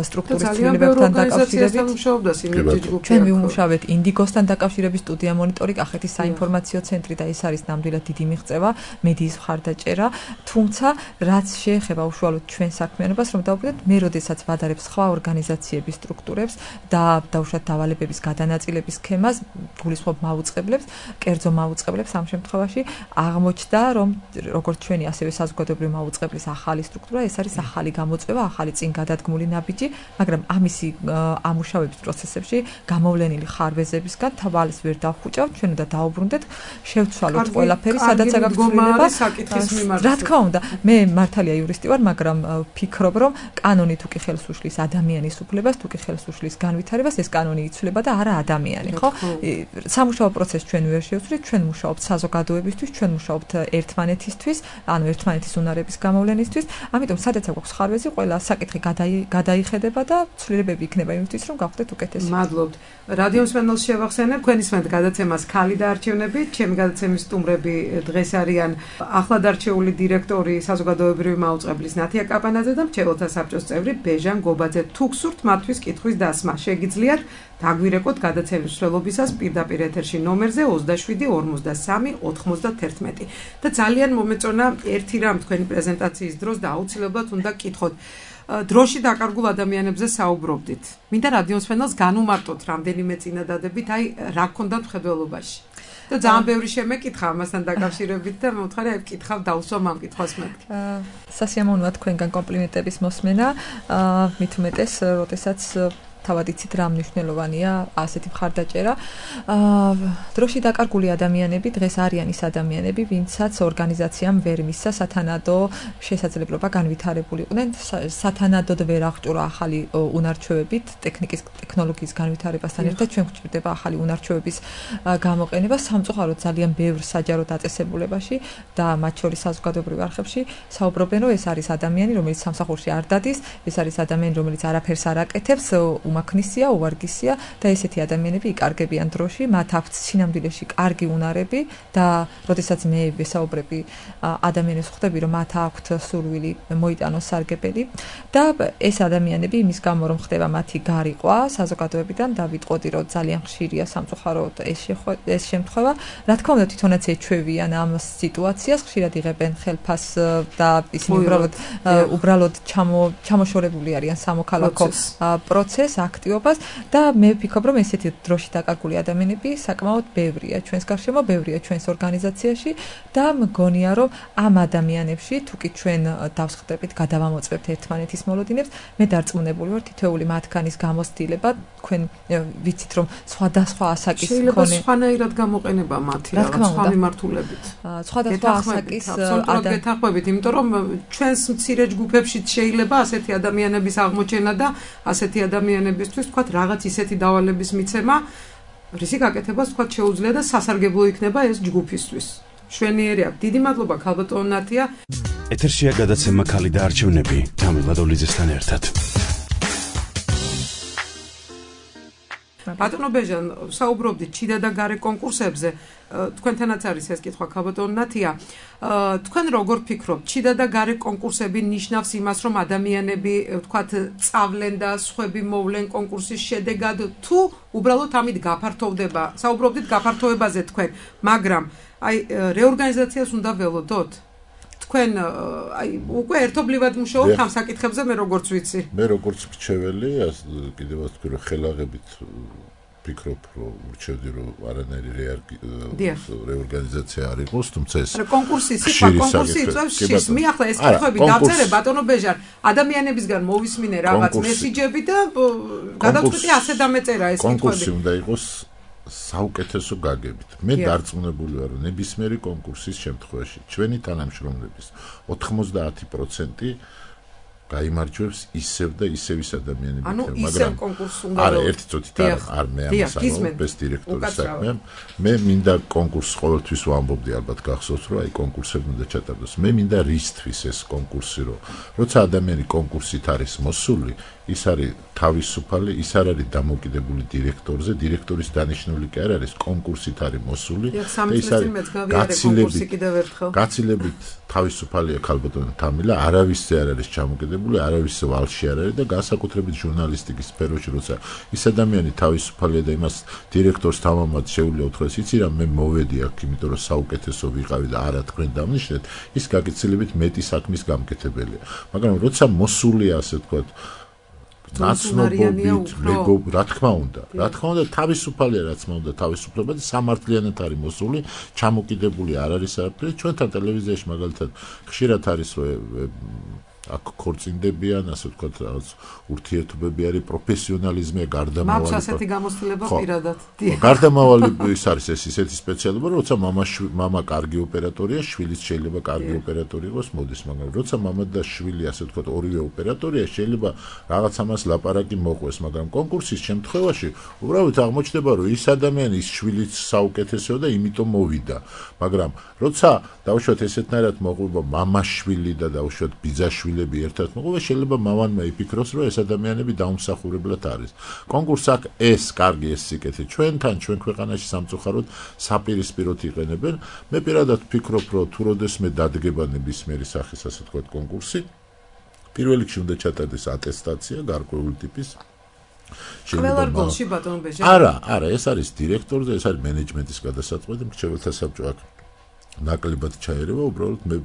Speaker 8: სტრუქტურის ცვლილებებთან დაკავშირებით. ჩვენ ვიმუშავეთ ინდიგოსთან დაკავშირებით სტუდია მონიტორი, კახეთის საინფორმაციო ცენტრი და ეს არის ნამდვილად დიდი მიღწევა, მედიის მხარდაჭერა, თუმცა რაც შეეხება უშუალოდ ჩვენ საქმიანობას, რომ დავუკვირდეთ, მე როდესაც ვადარებ სხვა ორგანიზაციების სტრუქტურებს და დაუშვათ დავალებების გადანაწილების სქემას, გულისხმობ მაუწყებლებს, კერძო მაუწყებლებს ამ შემთხვევაში აღმოჩნდა, რომ როგორც ჩვენი ასევე საზოგადოებრივი მაუწყებლის ახალი სტრუქტურა ეს არის ახალი გამოწვევა, ახალი წინ გადადგმული ნაბიჯი, მაგრამ ამისი ამუშავების პროცესებში გამოვლენილი ხარვეზებისგან თვალს ვერ დავხუჭავთ, ჩვენ უნდა დაუბრუნდეთ, შევცვალოთ ყველაფერი, სადაც აქვს ცვლილება. რა თქმა უნდა, მე მართალია იურისტი ვარ, მაგრამ ვფიქრობ, რომ კანონი თუ კი ხელს უშლის ადამიანის უფლებას, თუ კი ხელს უშლის განვითარებას, ეს კანონი იცვლება და არა ადამიანი, ხო? სამუშაო პროცესს ჩვენ ვერ შევცვლით, ჩვენ მუშაობთ საზოგადოებისთვის, ჩვენ მუშაობთ ერთმანეთისთვის, ანუ ერთმანეთის უნარების გამოვლენისთვის. ამიტომ სადაც აქვს ხარვეზი, ყველა საკითხი გადაიხედება და ცვლილებები იქნება იმისთვის, რომ გავხდეთ უკეთესი.
Speaker 6: მადლობთ. რადიო მსმენელს შევახსენებ, თქვენი სმენთ გადაცემას ქალი და არჩევნები. ჩემი გადაცემის სტუმრები დღეს არიან ახლად არჩეული დირექტორი საზოგადოებრივი მაუწყებლის ნათია კაპანაძე და მრჩეველთა საბჭოს წევრი ბეჟან გობაძე. თუ გსურთ მათთვის კითხვის დასმა, შეგიძლიათ დაგვირეკოთ გადაცემის მსვლელობისას პირდაპირ ეთერში ნომერზე ოცდაშვიდი ორმოცდასამი ოთხმოცდაათერთმეტი. და ძალიან მომეწონა ერთი რამ თქვენი პრეზენტაციის დროს და აუცილებლად უნდა გკითხოთ. დროში დაკარგულ ადამიანებზე საუბრობდით. მინდა რადიო მსმენელს განუმარტოთ რამდენიმე წინადადებით, აი რა გქონდათ მხედველობაში. და ძალიან ბევრი შემეკითხა ამასთან დაკავშირებით და მომთხარი აი ვკითხავ დავსვამ ამ კითხვას მეთქი.
Speaker 8: სასიამოვნოა თქვენგან კომპლიმენტების მოსმენა, მით უმეტეს, როდესაც თავად იცით რა მნიშვნელოვანია ასეთი მხარდაჭერა. დროში დაკარგული ადამიანები დღეს არიან ის ადამიანები, ვინცაც ორგანიზაციამ ვერ მისცა სათანადო შესაძლებლობა განვითარებულიყვნენ, სათანადოდ ვერ აღჭურვა ახალი უნარჩვევებით, ტექნიკის, ტექნოლოგიის განვითარებასთან ერთად ჩვენ გვჭირდება ახალი უნარჩვევების გამოყენება სამწუხაროდ ძალიან ბევრ საჯარო დაწესებულებაში და მათ შორის საზოგადოებრივ არხებში საუბრობენ, რომ ეს არის ადამიანი, რომელიც სამსახურში არ დადის, ეს არის ადამიანი, რომელიც არაფერს არ აკეთებს, უმაქნისია, უვარგისია და ესეთი ადამიანები იკარგებიან დროში, მათ აქვთ სინამდვილეში კარგი უნარები და როდესაც მე ვესაუბრები ადამიანებს ხვდები, რომ მათ აქვთ სურვილი მოიტანოს სარგებელი და ეს ადამიანები იმის გამო რომ ხდება მათი გარიყვა საზოგადოებიდან და ვიტყოდი, რომ ძალიან ხშირია სამწუხაროდ ეს ეს შემთხვევა. რა თქმა უნდა, თვითონაც ეჩვევიან ამ სიტუაციას, ხშირად იღებენ ხელფას და ისინი უბრალოდ უბრალოდ ჩამოშორებული არიან სამოქალაქო პროცესს, აქტივობას და მე ვფიქრობ, რომ ესეთი დროში დაკარგული ადამიანები საკმაოდ ბევრია ჩვენს გარშემო, ბევრია ჩვენს ორგანიზაციაში და მგონია, რომ ამ ადამიანებში თუ კი ჩვენ დავსხდებით, გადავამოწმებთ ერთმანეთის მოლოდინებს, მე დარწმუნებული ვარ, თითოეული მათგანის გამოცდილება, თქვენ ვიცით, რომ სხვადასხვა ასაკის მქონე
Speaker 6: შეიძლება სხვანაირად გამოყენება მათი რაღაც სხვა მიმართულებით.
Speaker 8: სხვადასხვა ასაკის
Speaker 6: ადამიანები გეთანხმებით, იმიტომ რომ ჩვენს მცირე ჯგუფებშიც შეიძლება ასეთი ადამიანების აღმოჩენა და ასეთი ადამიანებისთვის თქვა რაღაც ისეთი დავალების მიცემა, რისი გაკეთება თქვა შეუძლია და სასარგებლო იქნება ეს ჯგუფისთვის. შვენიერი აქვს. დიდი მადლობა ქალბატონ ნათია.
Speaker 1: ეთერშია გადაცემა ქალი და არჩევნები თამილად ოლიძესთან ერთად.
Speaker 6: ბატონო ბეჟან, საუბრობდით ჩიდა და გარე კონკურსებზე. თქვენთანაც არის ეს კითხვა, ქალბატონო ნათია. თქვენ როგორ ფიქრობთ, ჩიდა და გარე კონკურსები ნიშნავს იმას, რომ ადამიანები, ვთქვათ, წავლენ და სხვები მოვლენ კონკურსის შედეგად, თუ უბრალოდ ამით გაფართოვდება? საუბრობდით გაფართოვებაზე თქვენ, მაგრამ აი რეორგანიზაციას უნდა ველოდოთ? თქვენ აი უკვე ერთობლივად მუშაობთ ამ საკითხებზე, მე როგორც ვიცი.
Speaker 7: მე როგორც მრჩეველი, კიდევ ვთქვი, რომ ხელაღებით ფიქრობ, რომ მრჩევდი, რომ არანაირი რეორგანიზაცია არ იყოს, თუმცა ეს
Speaker 6: კონკურსი, სიტყვა კონკურსი იწვევს შიშს. მე ახლა ეს კითხვები დავწერე ბატონო ბეჟან, ადამიანებისგან მოვისმინე რაღაც მესიჯები და გადავწყვიტე ასე დამეწერა ეს კითხვები.
Speaker 7: კონკურსი უნდა იყოს საუკეთესო გაგებით. მე დარწმუნებული ვარ, რომ ნებისმიერი კონკურსის შემთხვევაში ჩვენი თანამშრომლების ოთხმოცდაათი პროცენტი გაიმარჯვებს ისევ და ისევ ის ადამიანები,
Speaker 6: მაგრამ
Speaker 7: არა, ერთი წუთით არ მე ამას ამბობ, ეს დირექტორის საქმეა. მე მინდა კონკურსს ყოველთვის ვამბობდი, ალბათ გახსოვთ, რომ აი კონკურსები უნდა ჩატარდეს. მე მინდა რისთვის ეს კონკურსი, რომ როცა ადამიანი კონკურსით არის მოსული, ის არის თავისუფალი, ის არ არის დამოკიდებული დირექტორზე, დირექტორის დანიშნული კი არ არის, კონკურსით არის მოსული
Speaker 6: და ის არის გაცილებით
Speaker 7: გაცილებით თავისუფალია ქალბატონო თამილა, არავისზე არ არის ჩამოკიდებული, არავისზე ვალში არ არის და განსაკუთრებით ჟურნალისტიკის სფეროში, როცა ის ადამიანი თავისუფალია და იმას დირექტორს თამამად შეუძლია უთხრას, იცი რა, მე მოვედი აქ, იმიტომ რომ საუკეთესო ვიყავი და არა თქვენ დამნიშნეთ, ის გაგიცილებით მეტი საქმის გამკეთებელია. მაგრამ როცა მოსულია, ასე ვთქვათ, ნაცნობობით, მეგობ, რა თქმა უნდა, რა თქმა უნდა, თავისუფალია, რა თქმა უნდა, თავისუფლება და სამართლიანად არის მოსული, ჩამოკიდებული არ არის არაფერი. ჩვენთან ტელევიზიაში მაგალითად ხშირად არის, რომ აქ ქორწინდებიან, ასე ვთქვათ, რაღაც ურთიერთობები არის, პროფესიონალიზმია, გარდამავალი.
Speaker 6: მაქვს ასეთი გამოცდილება პირადად.
Speaker 7: გარდამავალი ის არის ეს ისეთი სპეციალობა, როცა მამა მამა კარგი ოპერატორია, შვილიც შეიძლება კარგი ოპერატორი იყოს, მოდის, მაგრამ როცა მამა და შვილი, ასე ვთქვათ, ორივე ოპერატორია, შეიძლება რაღაც ამას ლაპარაკი მოყვეს, მაგრამ კონკურსის შემთხვევაში უბრალოდ აღმოჩნდება, რომ ის ადამიანი, ის შვილიც საუკეთესოა და იმიტომ მოვიდა. მაგრამ როცა დავუშვათ ესეთნაირად მოყვება მამა შვილი და დავუშვათ ბიძაშვილი ერთად მოყვება, შეიძლება მამანმა იფიქროს, რომ ეს ადამიანები დაუმსახურებლად არის. კონკურსს აქ ეს კარგი ეს სიკეთე ჩვენთან, ჩვენ ქვეყანაში სამწუხაროდ საპირისპიროდ იყენებენ. მე პირადად ვფიქრობ, რომ თუ როდესმე დადგება ნებისმიერი სახის, ასე ვთქვათ, კონკურსი, პირველ რიგში უნდა ჩატარდეს ატესტაცია გარკვეული ტიპის.
Speaker 6: ყველა რგოლში ბატონო ბეჟა.
Speaker 7: არა, არა, ეს არის დირექტორზე, ეს არის მენეჯმენტის გადასაწყვეტი, მრჩეველთა საბჭო აქ ნაკლებად ჩაერევა, უბრალოდ მე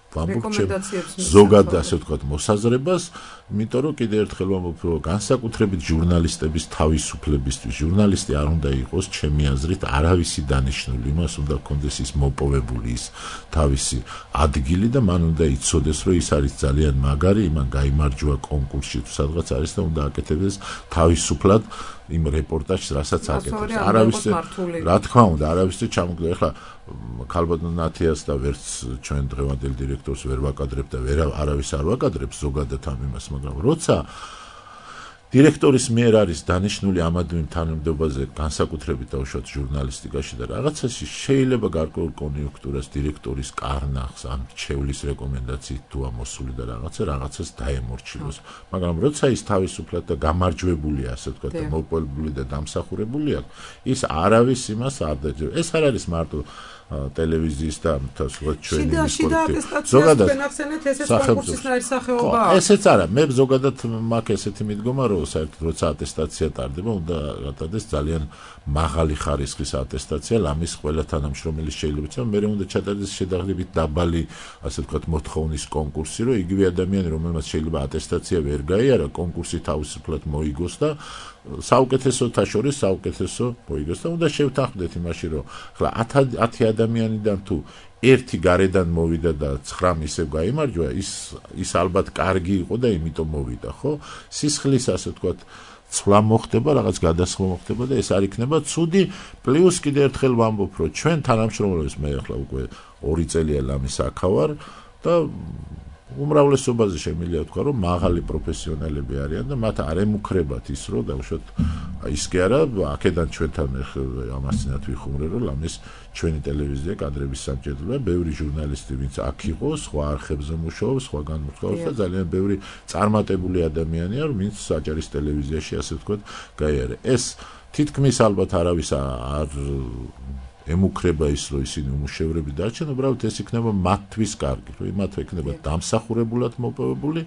Speaker 7: ზოგად ასე ვთქვათ მოსაზრებას, იმიტომ რომ კიდევ ერთხელ ვამბობ, რომ განსაკუთრებით ჟურნალისტების თავისუფლებისთვის, ჟურნალისტი არ უნდა იყოს ჩემი აზრით არავისი დანიშნული, იმას უნდა ჰქონდეს ის მოპოვებული ის თავისი ადგილი და მან უნდა იცოდეს, რომ ის არის ძალიან მაგარი, იმან გაიმარჯვა კონკურსში თუ სადღაც არის და უნდა აკეთებდეს თავისუფლად იმ რეპორტაჟს, რასაც აკეთებს. არავისზე, რა თქმა უნდა, არავისზე ჩამოგდა. ეხლა ქალბატონ ნათიას და ვერც ჩვენ დღევანდელ დირექტორს ვერ ვაკადრებ და ვერ არავის არ ვაკადრებს ზოგადად ამ იმას, მაგრამ როცა დირექტორის მიერ არის დანიშნული ამადმი თანამდებობაზე, განსაკუთრებით დავუშვათ ჟურნალისტიკაში და რაღაცაში შეიძლება გარკვეულ კონიუნქტურას დირექტორის კარნახს ან მრჩევლის რეკომენდაციით თუ ამოსული და რაღაცა რაღაცას დაემორჩილოს. მაგრამ როცა ის თავისუფლად და გამარჯვებულია, ასე ვთქვათ, და მოპოვებული და დამსახურებული აქვს, ის არავის იმას არ დაჯერებს. ეს არ არის მარტო ტელევიზიის და თასვათ ჩვენი
Speaker 6: ზოგადად ვენახსენეთ ესეც კონკურსის ნაირსახეობა.
Speaker 7: ესეც არა, მე ზოგადად მაქვს ესეთი მიდგომა, რომ საერთოდ როცა ატესტაცია ტარდება, უნდა გატარდეს ძალიან მაღალი ხარისხის ატესტაცია, ლამის ყველა თანამშრომელი შეიძლება იცოდა, მე უნდა ჩატარდეს შედარებით დაბალი, ასე ვთქვათ, მოთხოვნის კონკურსი, რომ იგივე ადამიანი, რომელმაც შეიძლება ატესტაცია ვერ გაიარა, კონკურსი თავისუფლად მოიგოს და საუკეთესოთა შორის საუკეთესო მოიგოს და უნდა შევთანხმდეთ იმაში, რომ ხლა ათი ადამიანიდან თუ ერთი გარედან მოვიდა და ცხრა ისევ გაიმარჯვა, ის ის ალბათ კარგი იყო და იმიტომ მოვიდა, ხო? სისხლის, ასე ვთქვათ, ცვლა მოხდება, რაღაც გადასხმა მოხდება და ეს არ იქნება ცუდი. პლუს კიდევ ერთხელ ვამბობ, რომ ჩვენ თანამშრომლებს მე ახლა უკვე ორი წელია ლამის აქავარ და უმრავლესობაზე შემიძლია ვთქვა, რომ მაღალი პროფესიონალები არიან და მათ არ ემუქრებათ ის, რომ დავუშვათ, ის კი არა, აქედან ჩვენთან ამას წინათ ვიხუმრე, რომ ლამის ჩვენი ტელევიზია კადრების სამჭედლოა, ბევრი ჟურნალისტი, ვინც აქ იყო, სხვა არხებზე მუშაობს, სხვაგან მუშაობს და ძალიან ბევრი წარმატებული ადამიანია, ვინც საჯარის ტელევიზიაში, ასე ვთქვათ, გაიარა. ეს თითქმის ალბათ არავის არ ემუქრება ის, რომ ისინი უმუშევრები დარჩენ, უბრალოდ ეს იქნება მათთვის კარგი, რომ იმათო იქნება დამსახურებულად მოპოვებული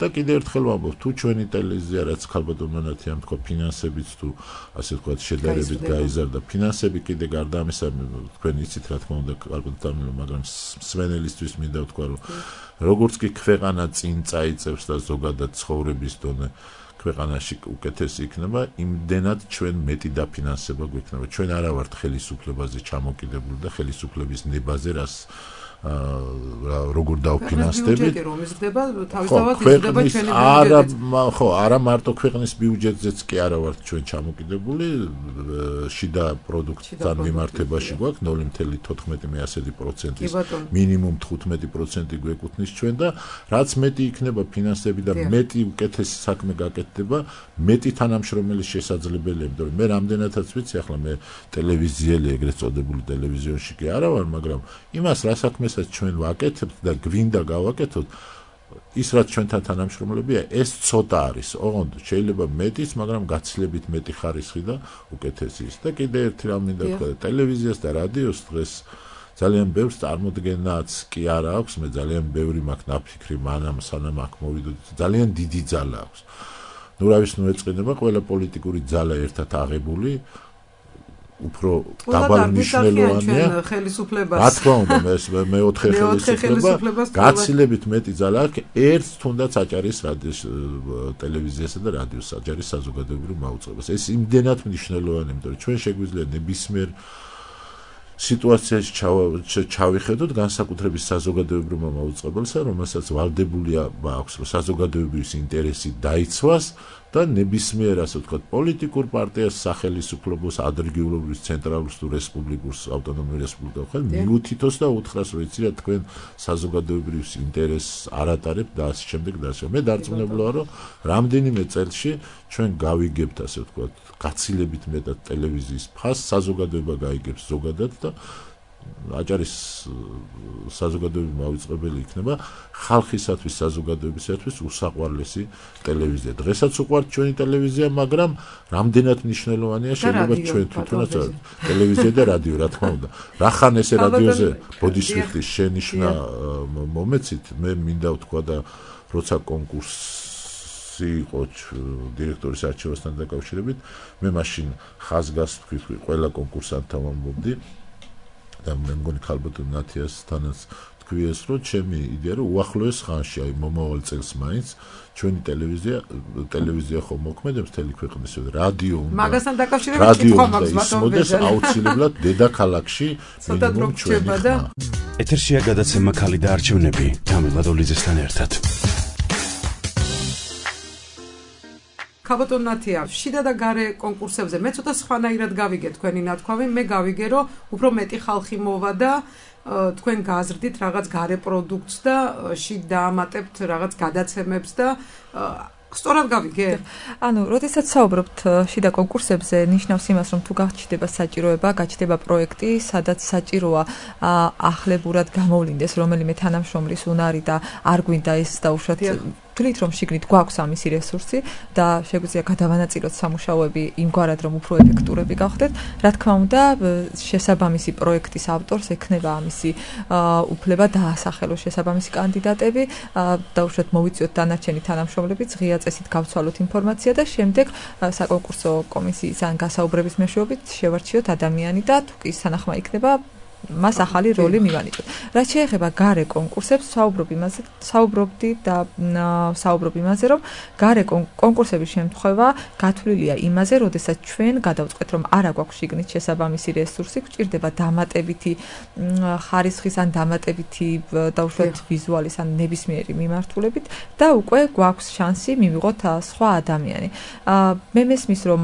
Speaker 7: და კიდევ ერთხელ ვამბობ, თუ ჩვენი ტელევიზია, რაც ქალბატონმანათი ამ თქვა ფინანსებით თუ ასე ვთქვათ, შედარებით გაიზარდა ფინანსები, კიდე გარდა ამისა, თქვენ იცით რა თქმა უნდა, ქალბატონო, მაგრამ მსმენელისთვის მინდა ვთქვა, რომ როგორც კი ქვეყანა წინ წაიწევს და ზოგადად ცხოვრების დონე ქვეყანაში უკეთესი იქნება, იმდენად ჩვენ მეტი დაფინანსება გვექნება. ჩვენ არა ვართ ხელისუფლებაზე ჩამოკიდებული და ხელისუფლების ნებაზე, რას როგორ დავფინანსდებით.
Speaker 6: რომ იზრდება, თავისთავად იზრდება ჩვენი ბიუჯეტი.
Speaker 7: არა, ხო, არა მარტო ქვეყნის ბიუჯეტზეც კი არა ვართ ჩვენ ჩამოკიდებული, შიდა პროდუქტთან მიმართებაში გვაქვს ნული კoma თოთხმეტი პროცენტის მინიმუმ თხუთმეტი პროცენტი გვეკუთვნის ჩვენ და რაც მეტი იქნება ფინანსები და მეტი უკეთესი საქმე გაკეთდება, მეტი თანამშრომელის შესაძლებელია, იმიტომ რომ მე რამდენადაც ვიცი, ახლა მე ტელევიზიელი, ეგრეთ წოდებული ტელევიზიონში კი არა ვარ, მაგრამ იმას რა საქმესაც ჩვენ ვაკეთებთ და გვინდა გავაკეთოთ, ის რაც ჩვენთან თანამშრომლებია, ეს ცოტა არის. ოღონდ შეიძლება მეტიც, მაგრამ გაცილებით მეტი ხარისხი და უკეთესი ის. და კიდე ერთი რამ მინდა ვთქვა, ტელევიზიას და რადიოს დღეს ძალიან ბევრს წარმოდგენაც კი არ აქვს, მე ძალიან ბევრი მაქვს ნაფიქრი, მანამ სანამ აქ მოვიდოდი, ძალიან დიდი ძალა აქვს. ნუ რა ვიცი, ნუ ეწყინება ყველა პოლიტიკური ძალა ერთად აღებული, უფრო დაბალ მნიშვნელოვანია
Speaker 6: ხელისუფლებას.
Speaker 7: რა თქმა უნდა, მე მეოთხე ხელისუფლება გაცილებით მეტი ძალა აქვს, ერთ თუნდაც აჭარის რადიოს, ტელევიზიასა და რადიოს აჭარის საზოგადოებრივ მაუწყებლობას. ეს იმდენად მნიშვნელოვანია, იმიტომ რომ ჩვენ შეგვიძლია ნებისმიერ სიტუაციაში ჩავიხედოთ განსაკუთრებით საზოგადოებრივ მაუწყებელსა, რომელსაც ვალდებულია აქვს, რომ საზოგადოებრივი ინტერესი დაიცვას და ნებისმიერ ასე ვთქვათ პოლიტიკურ პარტიას, სახელმწიფოს, ადრინდელობის ცენტრალურს თუ რესპუბლიკურს, ავტონომიურ რესპუბლიკას ხელ მიუთითოს და უთხრას, რომ იცი რა თქვენ საზოგადოებრივ ინტერესს არ ატარებთ და ასე შემდეგ და ასე. მე დარწმუნებული ვარ, რომ რამდენიმე წელში ჩვენ გავიგებთ ასე ვთქვათ გაცილებით მეტად ტელევიზიის ფასს, საზოგადოება გაიგებს ზოგადად და აჭარის საზოგადოებრივი მავიწყებელი იქნება ხალხისათვის, საზოგადოებისათვის უსაყვარლესი ტელევიზია. დღესაც უყვართ ჩვენი ტელევიზია, მაგრამ რამდენად მნიშვნელოვანია შეიძლება ჩვენ თვითონაც ტელევიზია და რადიო, რა თქმა უნდა. რახან ესე რადიოზე ბოდისვიხლის შენიშვნა მომეცით, მე მინდა ვთქვა და როცა კონკურსი იყო დირექტორის არჩევასთან დაკავშირებით, მე მაშინ ხაზგასთ ვთქვი ყველა კონკურსანტთან ვამბობდი და მე მგონი ქალბატონ ნათიასთანაც თქვი ეს, რომ ჩემი იდეა რომ უახლოეს ხანში, აი მომავალ წელს მაინც ჩვენი ტელევიზია ტელევიზია ხომ მოქმედებს მთელი ქვეყნის რადიო უნდა
Speaker 6: მაგასთან დაკავშირებით კითხვა მაქვს
Speaker 7: ბატონო აუცილებლად დედაქალაქში მინიმუმ ჩვენი ხმა.
Speaker 1: ეთერშია გადაცემა ქალი და არჩევნები თამილა დოლიძესთან ერთად.
Speaker 6: ქალბატონ ნათია, შიდა და გარე კონკურსებზე მე ცოტა სხვანაირად გავიგე თქვენი ნათქვამი, მე გავიგე რომ უფრო მეტი ხალხი მოვა და თქვენ გააზრდით რაღაც გარე პროდუქტს და შიგ დაამატებთ რაღაც გადაცემებს და სწორად გავიგე?
Speaker 8: ანუ, როდესაც საუბრობთ შიდა კონკურსებზე, ნიშნავს იმას, რომ თუ გაჩნდება საჭიროება, გაჩნდება პროექტი, სადაც საჭიროა ახლებურად გამოვლინდეს რომელიმე თანამშრომლის უნარი და არ გვინდა ეს დაუშვათ თვლით რომ შიგნით გვაქვს ამისი რესურსი და შეგვიძლია გადავანაწილოთ სამუშაოები იმგვარად რომ უფრო ეფექტურები გავხდეთ. რა თქმა უნდა, შესაბამისი პროექტის ავტორს ექნება ამისი უფლება დაასახელოს შესაბამისი კანდიდატები, დაუშვათ მოვიწიოთ დანარჩენი თანამშრომლები, ღია წესით გავცვალოთ ინფორმაცია და შემდეგ საკონკურსო კომისიის ან გასაუბრების მეშვეობით შევარჩიოთ ადამიანი და თუ კი სანახმა იქნება მას ახალი როლი მივანიჭოთ. რაც შეეხება გარე კონკურსებს, საუბრობ იმაზე, საუბრობდი და საუბრობ იმაზე, რომ გარე კონკურსების შემთხვევა გათვლილია იმაზე, როდესაც ჩვენ გადავწყვეტ, რომ არა გვაქვს შიგნით შესაბამისი რესურსი, გვჭირდება დამატებითი ხარისხის ან დამატებითი დაუშვათ ვიზუალის ან ნებისმიერი მიმართულებით და უკვე გვაქვს შანსი მივიღოთ სხვა ადამიანი. მე მესმის, რომ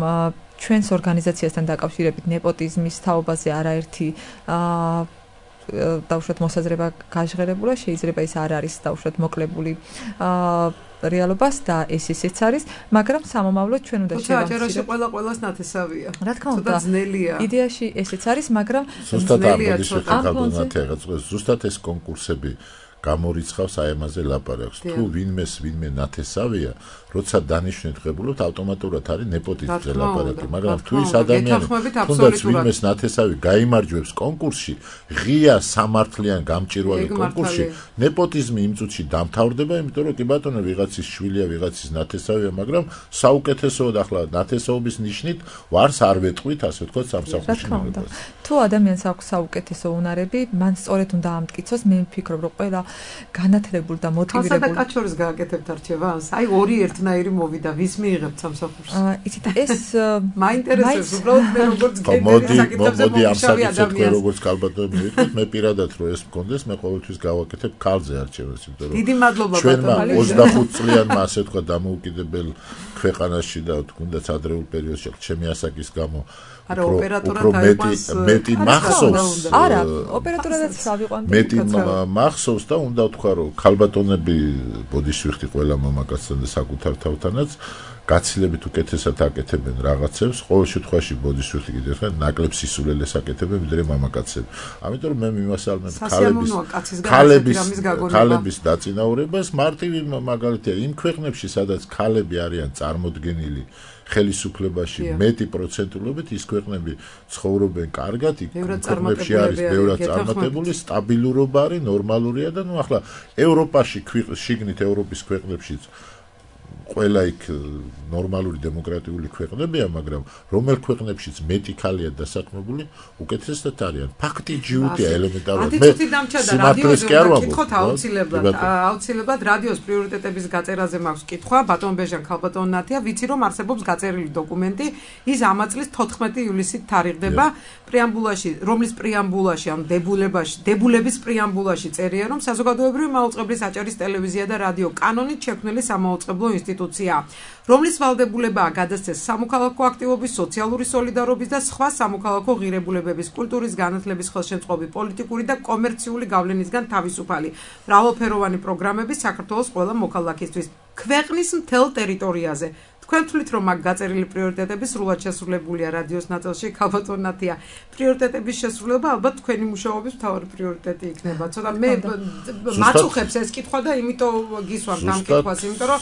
Speaker 8: ჩვენს ორგანიზაციასთან დაკავშირებით ნეპოტიზმის თაობაზე არაერთი დაუშვათ მოსაზრება გაჟღერებულა, შეიძლება ის არ არის დაუშვათ მოკლებული რეალობას და ეს ისეც არის, მაგრამ სამომავლოდ ჩვენ უნდა
Speaker 6: შევამციროთ. აჭარაში ყველა ყველას ნათესავია.
Speaker 8: რა თქმა უნდა, იდეაში ესეც არის, მაგრამ
Speaker 7: ზუსტად ამბობთ ზუსტად ეს კონკურსები გამორიცხავს აი ამაზე ლაპარაკს. თუ ვინმეს ვინმე ნათესავია, როცა დანიშნეთ ღებულობთ, ავტომატურად არის ნეპოტიზმზე ლაპარაკი, მაგრამ თუ ის ადამიანი თუნდაც ვინმეს ნათესავი გაიმარჯვებს კონკურსში, ღია სამართლიან გამჭირვალე კონკურსში, ნეპოტიზმი იმ წუთში დამთავრდება, იმიტომ რომ კი ბატონო ვიღაცის შვილია, ვიღაცის ნათესავია, მაგრამ საუკეთესოდ ახლა ნათესაობის ნიშნით ვარს არ ვეტყვით, ასე ვთქვათ, სამსახურში მიღებას.
Speaker 8: თუ ადამიანს აქვს საუკეთესო უნარები, მან სწორედ უნდა ამტკიცოს, მე ვფიქრობ, რომ ყველა განათლებული და მოტივირებული.
Speaker 6: ხალხსა და კაჩორის გააკეთებთ არჩევანს? აი ორი ერთნაირი მოვიდა, ვის მიიღებთ სამსახურს?
Speaker 8: აა, იცით, ეს
Speaker 6: მაინტერესებს უბრალოდ მე როგორც
Speaker 7: კენდერი საკითხებზე მოდი ამ საკითხზე როგორც კალბატონი მივიტყვით, მე პირადად რო ეს მქონდეს, მე ყოველთვის გავაკეთებ ქალზე არჩევანს, იმიტომ რომ
Speaker 6: დიდი მადლობა
Speaker 7: ბატონო. ოცდახუთ წლიანმა ასე თქვა დამოუკიდებელ ქვეყანაში და თუნდაც ადრეულ პერიოდში ჩემი ასაკის გამო
Speaker 6: არა ოპერატორად
Speaker 7: აიყვანს მეტი მახსოვს
Speaker 8: არა ოპერატორადაც ავიყვანდი
Speaker 7: მეტი მახსოვს და უნდა ვთქვა რომ ქალბატონები ბოდიშვიხტი ყველა მამაკაცთან და საკუთარ თავთანაც გაცილებით უკეთესად აკეთებენ რაღაცებს ყოველ შემთხვევაში ბოდიშვიხტი კიდევ ხარ ნაკლებ სისულელეს აკეთებენ ვიდრე მამაკაცები ამიტომ რომ მე მიმასალმებ ქალების ქალების ქალების დაწინაურებას მარტივი მაგალითია იმ ქვეყნებში სადაც ქალები არიან წარმოდგენილი ხელისუფლებაში მეტი პროცენტულობით ის ქვეყნები ცხოვრობენ კარგად, იქ ქვეყნებში არის ბევრად წარმატებული, სტაბილურობა არის, ნორმალურია და ნუ ახლა ევროპაში შიგნით ევროპის ქვეყნებშიც ყველა იქ ნორმალური დემოკრატიული ქვეყნებია, მაგრამ რომელ ქვეყნებშიც მეტი ქალია დასაქმებული, უკეთესად არიან. ფაქტი ჯიუტია ელემენტარულად.
Speaker 6: მე სიმართლეს კი არ ვამბობ. აუცილებლად, აუცილებლად რადიოს პრიორიტეტების გაწერაზე მაქვს კითხვა, ბატონ ბეჟან ქალბატონ ნათია, ვიცი რომ არსებობს გაწერილი დოკუმენტი, ის ამ წლის თოთხმეტი ივლისით თარიღდება, პრეამბულაში, რომლის პრეამბულაში, ამ დებულებაში, დებულების პრეამბულაში წერია, რომ საზოგადოებრივი მაუწყებლის აჭარის ტელევიზია და რადიო კანონით შექმნილი სამაუწყებლო ინსტიტუცია, რომლის ვალდებულებაა გადასცეს სამოქალაქო აქტივობის, სოციალური სოლიდარობის და სხვა სამოქალაქო ღირებულებების, კულტურის, განათლების, ხელშემწყობი, პოლიტიკური და კომერციული გავლენისგან თავისუფალი, მრავალფეროვანი პროგრამები საქართველოს ყველა მოქალაქისთვის, ქვეყნის მთელ ტერიტორიაზე. თქვენ თვლით რომ მაგ გაწერილი პრიორიტეტები სრულად შესრულებულია რადიოს ნაწილში ქალბატონ ნათია. პრიორიტეტების შესრულება ალბათ თქვენი მუშაობის მთავარი პრიორიტეტი იქნება. ცოტა მე მაწუხებს ეს კითხვა და იმიტომ გისვამთ ამ კითხვას, იმიტომ რომ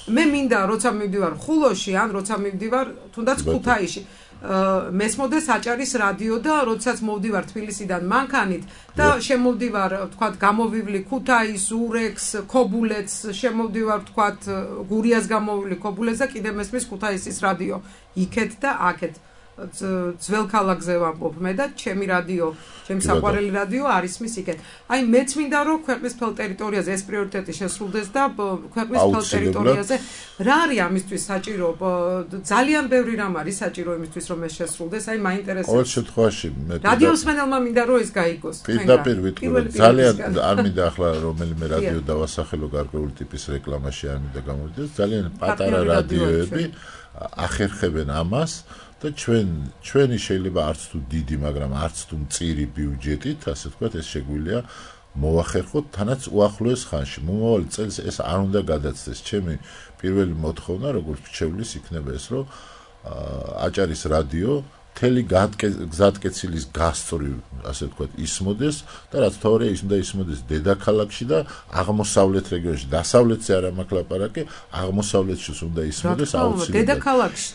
Speaker 6: მე მინდა როცა მივდივარ ხულოში ან როცა მივდივარ თუნდაც ქუთაისში მესმოდეს აჭარის რადიო და როდესაც მოვდივარ თბილისიდან მანქანით და შემოვდივარ თქვათ გამოვივლი ქუთაის, ურექს, ქობულეთს, შემოვდივარ თქვათ გურიას გამოვივლი ქობულეთს და კიდე მესმის ქუთაისის რადიო იქეთ და აქეთ ძველ ქალაქზე ვამბობ მე და ჩემი რადიო, ჩემი საყვარელი რადიო არის მის იქეთ. აი მეც მინდა რომ ქვეყნის მთელ ტერიტორიაზე ეს პრიორიტეტი შესრულდეს და ქვეყნის მთელ ტერიტორიაზე რა არის ამისთვის საჭირო? ძალიან ბევრი რამ არის საჭირო იმისთვის რომ ეს შესრულდეს. აი მაინტერესებს.
Speaker 7: ყოველ შემთხვევაში მე
Speaker 6: რადიოს მენელმა მინდა რომ ეს გაიგოს.
Speaker 7: პირდაპირ ვიტყვი ძალიან არ მინდა ახლა რომელიმე რადიო დავასახელო გარკვეული ტიპის რეკლამაში არ მინდა გამოვიდეს. ძალიან პატარა რადიოები ახერხებენ ამას. და ჩვენ ჩვენი შეიძლება არც თუ დიდი, მაგრამ არც თუ მწირი ბიუჯეტით, ასე ვთქვათ, ეს შეგვიძლია მოვახერხოთ თანაც უახლოეს ხანში. მომავალ წელს ეს არ უნდა გადაცდეს. ჩემი პირველი მოთხოვნა, როგორც მრჩევლის, იქნება ეს, რომ აჭარის რადიო მთელი გზატკეცილის გასწვრივ, ასე ვთქვათ, ისმოდეს და რაც თავარია, ის უნდა ისმოდეს დედაქალაქში და აღმოსავლეთ რეგიონში. დასავლეთზე არ მაქვს ლაპარაკი, აღმოსავლეთშიც უნდა ისმოდეს აუცილებლად.
Speaker 6: დედაქალაქში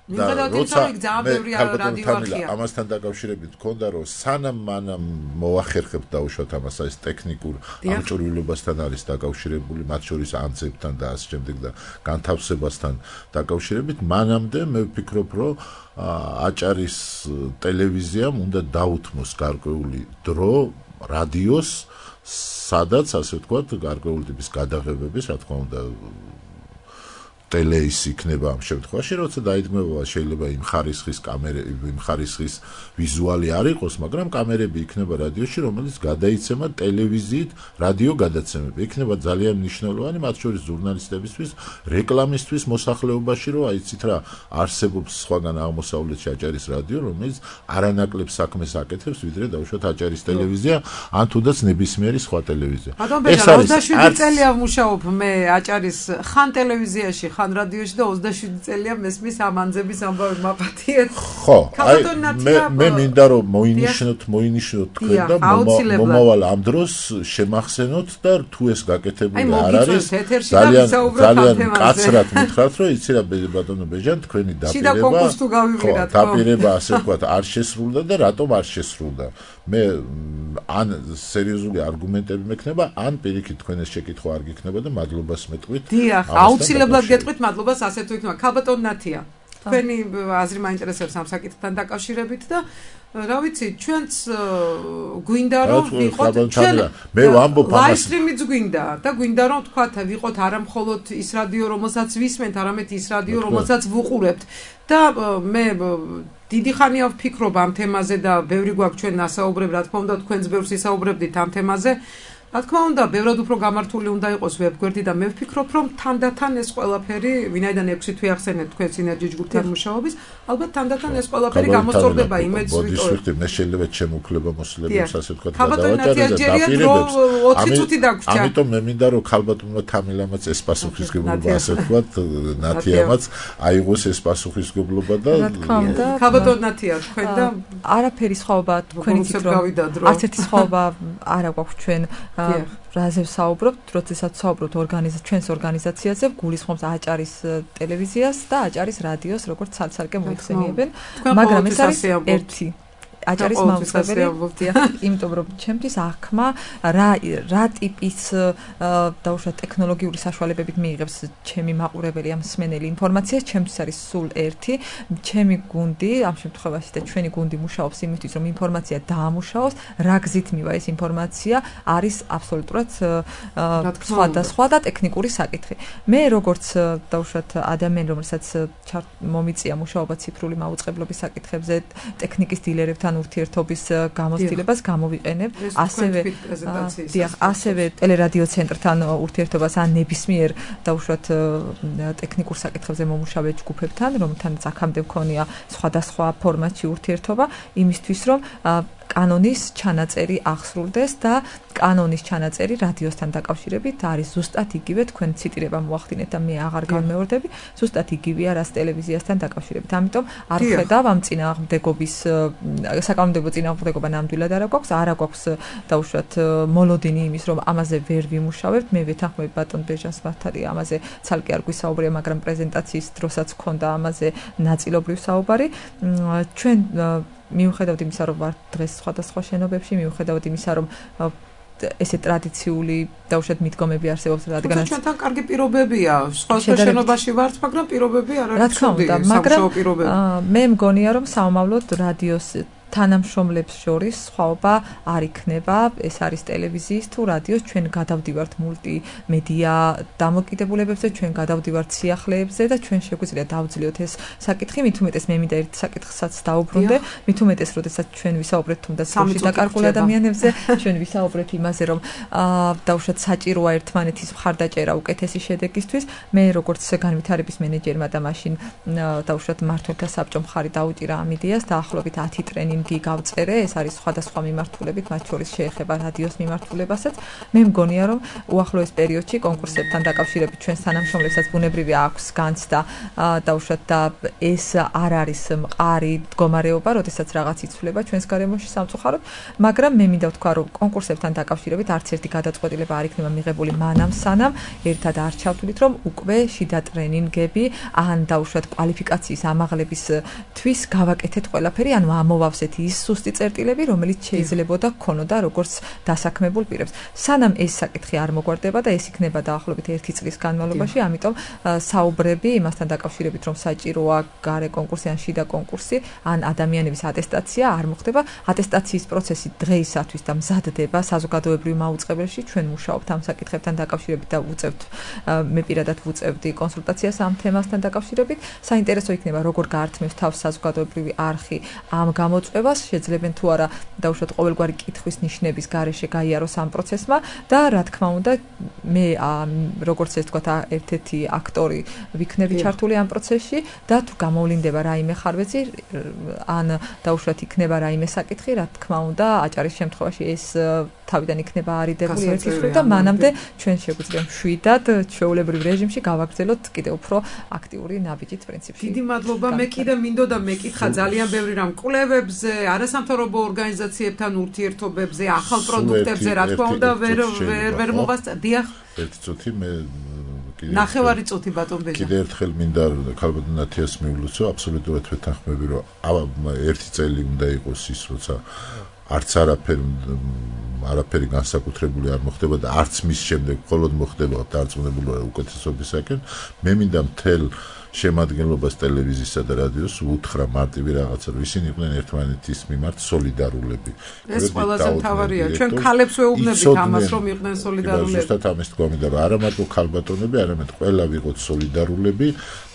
Speaker 7: და როცა მე ამასთან დაკავშირებით მქონდა რომ სანამ მანამ მოახერხებთ დაუშვათ ამას ეს ტექნიკურ ამჭრვილობასთან არის დაკავშირებული მათ შორის ანცებთან და ასე შემდეგ და განთავსებასთან დაკავშირებით მანამდე მე ვფიქრობ რომ აჭარის ტელევიზიამ უნდა დაუთმოს გარკვეული დრო რადიოს სადაც ასე ვთქვათ გარკვეული ტიპის გადაღებების რა თქმა უნდა ტელეის იქნება ამ შემთხვევაში, როცა დაიდგმება შეიძლება იმ ხარისხის კამერები, იმ ხარისხის ვიზუალი არ იყოს, მაგრამ კამერები იქნება რადიოში, რომელიც გადაიცემა ტელევიზიით რადიო გადაცემები. იქნება ძალიან მნიშვნელოვანი, მათ შორის ჟურნალისტებისთვის, რეკლამისთვის მოსახლეობაში, რომ აიცით რა, არსებობს სხვაგან აღმოსავლეთში აჭარის რადიო, რომელიც არანაკლებ საქმეს აკეთებს, ვიდრე დაუშვათ აჭარის ტელევიზია, ან თუნდაც ნებისმიერი სხვა ტელევიზია.
Speaker 6: ეს არის ოცდაშვიდი წელი ავმუშაობ მე აჭარის ხან ტელევიზიაში ხან რადიოში და ოცდაშვიდი წელია მესმის ამ ანძების ამბავი მაპატიეთ.
Speaker 7: ხო, აი მე მე მინდა რომ მოინიშნოთ, მოინიშნოთ თქვენ და მომავალ ამ დროს შემახსენოთ და თუ ეს გაკეთებული არ არის ძალიან ძალიან კაცრად მითხრათ რომ იცი რა ბატონო ბეჟან თქვენი დაპირება დაპირება ასე ვთქვათ არ შესრულდა და რატომ არ შესრულდა მე ან სერიოზული არგუმენტები მექნება ან პირიქით თქვენ ეს შეკითხვა არ გიქნება და მადლობას მეტყვით
Speaker 6: დიახ აუცილებლად გეტყვით მადლობას ასე თუ იქნება ქალბატონ ნათია თქვენი აზრი მაინტერესებს ამ საკითხთან დაკავშირებით და რა ვიცი ჩვენც გვინდა რომ ვიყოთ ჩვენ
Speaker 7: მე ვამბობ ამას
Speaker 6: ლაივსტრიმიც გვინდა და გვინდა რომ თქვათ ვიყოთ არა მხოლოდ ის რადიო რომელსაც ვისმენთ არამედ ის რადიო რომელსაც ვუყურებთ და მე დიდი ხანია ვფიქრობ ამ თემაზე და ბევრი გვაქვს ჩვენ ასაუბრებ რა თქმა უნდა თქვენც ბევრს ისაუბრებდით ამ თემაზე რა თქმა უნდა ბევრად უფრო გამართული უნდა იყოს ვებგვერდი და მე ვფიქრობ რომ თანდათან ეს ყველაფერი ვინაიდან ექვსი თვე ახსენეთ თქვენ სინერგი ჯგუფთან მუშაობის ალბათ თანდათან ეს ყველაფერი გამოსწორდება იმედს
Speaker 7: ვიტყვი მე შეიძლება ჩემუქლება მოსულებს ასე ვთქვათ გადავაჭერე და დაპირებებს
Speaker 6: ოცი წუთი დაგვრჩა
Speaker 7: ამიტომ მე მინდა რომ ქალბატონმა თამილამაც ეს პასუხისგებლობა ასე ვთქვათ ნათიამაც აიღოს ეს პასუხისგებლობა და
Speaker 6: ქალბატონ ნათია თქვენ და
Speaker 8: არაფერი სხვაობა თქვენი თვითონ არც ერთი სხვაობა არა გვაქვს ჩვენ რაზე ვსაუბრობთ, როდესაც ვსაუბრობთ ორგანიზაციას, ჩვენს ორგანიზაციაზე, გულისხმობს აჭარის ტელევიზიას და აჭარის რადიოს, როგორც ცალ-ცალკე მოიხსენიებენ, მაგრამ ეს არის ერთი აჭარის მაუწყებელი, იმიტომ რომ ჩემთვის აღქმა რა რა ტიპის დაუშვათ ტექნოლოგიური საშუალებებით მიიღებს ჩემი მაყურებელი ამ მსმენელი ინფორმაციას, ჩემთვის არის სულ ერთი, ჩემი გუნდი, ამ შემთხვევაში და ჩვენი გუნდი მუშაობს იმისთვის, რომ ინფორმაცია დაამუშავოს, რა გზით მივა ეს ინფორმაცია, არის აბსოლუტურად სხვადასხვა და ტექნიკური საკითხი. მე როგორც დაუშვათ ადამიანი, რომელსაც მომიწია მუშაობა ციფრული მაუწყებლობის საკითხებზე, ტექნიკის დილერებთან ურთიერთობის გამოცდილებას გამოვიყენებ, ასევე დიახ, ასევე ტელერადიო ცენტრთან ურთიერთობას ან ნებისმიერ დაუშვათ ტექნიკურ საკითხებზე მომუშავე ჯგუფებთან, რომელთანაც აქამდე მქონია სხვადასხვა ფორმატში ურთიერთობა, იმისთვის რომ კანონის ჩანაწერი აღსრულდეს და კანონის ჩანაწერი რადიოსთან დაკავშირებით არის ზუსტად იგივე, თქვენ ციტირება მოახდინეთ და მე აღარ განმეორდები, ზუსტად იგივეა რაც ტელევიზიასთან დაკავშირებით. ამიტომ არ ხედავ ამ წინააღმდეგობის საკანონმდებლო წინააღმდეგობა ნამდვილად არა გვაქვს, არა გვაქვს დაუშვათ მოლოდინი იმის, რომ ამაზე ვერ ვიმუშავებთ. მე ვეთანხმები ბატონ ბეჟანს მართალია ამაზე ცალკე არ გვისაუბრია, მაგრამ პრეზენტაციის დროსაც ქონდა ამაზე ნაწილობრივ საუბარი. ჩვენ მიუხედავად იმისა, რომ ვარ დღეს სხვადასხვა შენობებში, მიუხედავად იმისა, რომ ესე ტრადიციული დაუშვათ მიდგომები არსებობს, რადგანაც
Speaker 6: ჩვენთან კარგი პირობებია, სხვა შენობაში ვართ, მაგრამ პირობები არ არის ცუდი, სამუშაო პირობები.
Speaker 8: მე მგონია, რომ სამომავლოდ რადიოს თანამშრომლებს შორის სხვაობა არ იქნება, ეს არის ტელევიზიის თუ რადიოს, ჩვენ გადავდივართ მულტიმედია დამოკიდებულებებზე, ჩვენ გადავდივართ სიახლეებზე და ჩვენ შეგვიძლია დავძლიოთ ეს საკითხი, მით უმეტეს მე მინდა ერთ საკითხსაც დაუბრუნდე, მით უმეტეს, როდესაც ჩვენ ვისაუბრეთ თუნდაც სულში დაკარგულ ადამიანებზე, ჩვენ ვისაუბრეთ იმაზე, რომ დაუშვათ საჭიროა ერთმანეთის მხარდაჭერა უკეთესი შედეგისთვის, მე როგორც განვითარების მენეჯერმა და მაშინ დაუშვათ მმართველთა საბჭომ მხარი დაუჭირა ამ იდეას, დაახლოებით ათი ტრენინგი გავწერე, ეს არის სხვადასხვა მიმართულებით, მათ შორის შეეხება რადიოს მიმართულებასაც. მე მგონია, რომ უახლოეს პერიოდში კონკურსებთან დაკავშირებით ჩვენს თანამშრომლებსაც ბუნებრივი აქვს განცდა დაუშვათ და ეს არ არის მყარი მდგომარეობა, როდესაც რაღაც იცვლება ჩვენს გარემოში სამწუხაროდ, მაგრამ მე მინდა ვთქვა, რომ კონკურსებთან დაკავშირებით არც ერთი გადაწყვეტილება არ იქნება მიღებული მანამ სანამ ერთად არ ჩავთვლით, რომ უკვე შიდა ტრენინგები ან დაუშვათ კვალიფიკაციის ამაღლებისთვის გავაკეთეთ ყველაფერი, ანუ ამოვავსეთ ის სუსტი წერტილები, რომელიც შეიძლებოდა ქონოდა როგორც დასაქმებულ პირებს. სანამ ეს საკითხი არ მოგვარდება და ეს იქნება დაახლოებით ერთი წლის განმავლობაში, ამიტომ საუბრები იმასთან დაკავშირებით, რომ საჭიროა გარე კონკურსი ან შიდა კონკურსი, ან ადამიანების ატესტაცია არ მოხდება. ატესტაციის პროცესი დღეისათვის და მზადდება საზოგადოებრივ მაუწყებელში, ჩვენ მუშაობთ ამ საკითხებთან დაკავშირებით და ვუწევთ, მე პირადად ვუწევდი კონსულტაციას ამ თემასთან დაკავშირებით. საინტერესო იქნება, როგორ გაართმევს თავს საზოგადოებრივი არხი ამ გამოწვევას გამოყევას, შეძლებენ თუ არა დაუშვათ ყოველგვარი კითხვის ნიშნების გარეშე გაიაროს ამ პროცესმა და რა თქმა უნდა მე როგორც ეს თქვა ერთ-ერთი აქტორი ვიქნები ჩართული ამ პროცესში და თუ გამოვლინდება რაიმე ხარვეცი ან დაუშვათ იქნება რაიმე საკითხი, რა თქმა უნდა აჭარის შემთხვევაში ეს თავიდან იქნება არიდებული ერთის მხრივ და მანამდე ჩვენ შეგვიძლია მშვიდად ჩვეულებრივ რეჟიმში გავაგრძელოთ კიდევ უფრო აქტიური ნაბიჯით პრინციპში.
Speaker 6: დიდი მადლობა. მე კიდე მინდოდა მეკითხა ძალიან ბევრი რამ კვლევებზე, არასამთავრობო ორგანიზაციებთან ურთიერთობებზე, ახალ პროდუქტებზე, რა თქმა უნდა, ვერ ვერ ვერ მოვასწრე. დიახ. ერთი
Speaker 7: წუთი მე
Speaker 6: ნახევარი წუთი ბატონ ბეჟა.
Speaker 7: კიდე ერთხელ მინდა ქალბატონ ნათიას მივლოცო, აბსოლუტურად ვეთანხმები, რომ ერთი წელი უნდა იყოს ის, როცა არც არაფერი არაფერი განსაკუთრებული არ მოხდება და არც მის შემდეგ მხოლოდ მოხდება დარწმუნებული უკეთესობისაკენ. მე მინდა მთელ შემადგენლობას ტელევიზიისა და რადიოს უთხრა მარტივი რაღაცა, რომ ისინი იყვნენ ერთმანეთის მიმართ სოლიდარულები.
Speaker 6: ეს ყველაზე მთავარია. ჩვენ ქალებს ვეუბნებით ამას, რომ იყვნენ სოლიდარულები.
Speaker 7: ზუსტად ამის თქვა მინდა, რომ არა მარტო ქალბატონები, არამედ ყველა ვიყოთ სოლიდარულები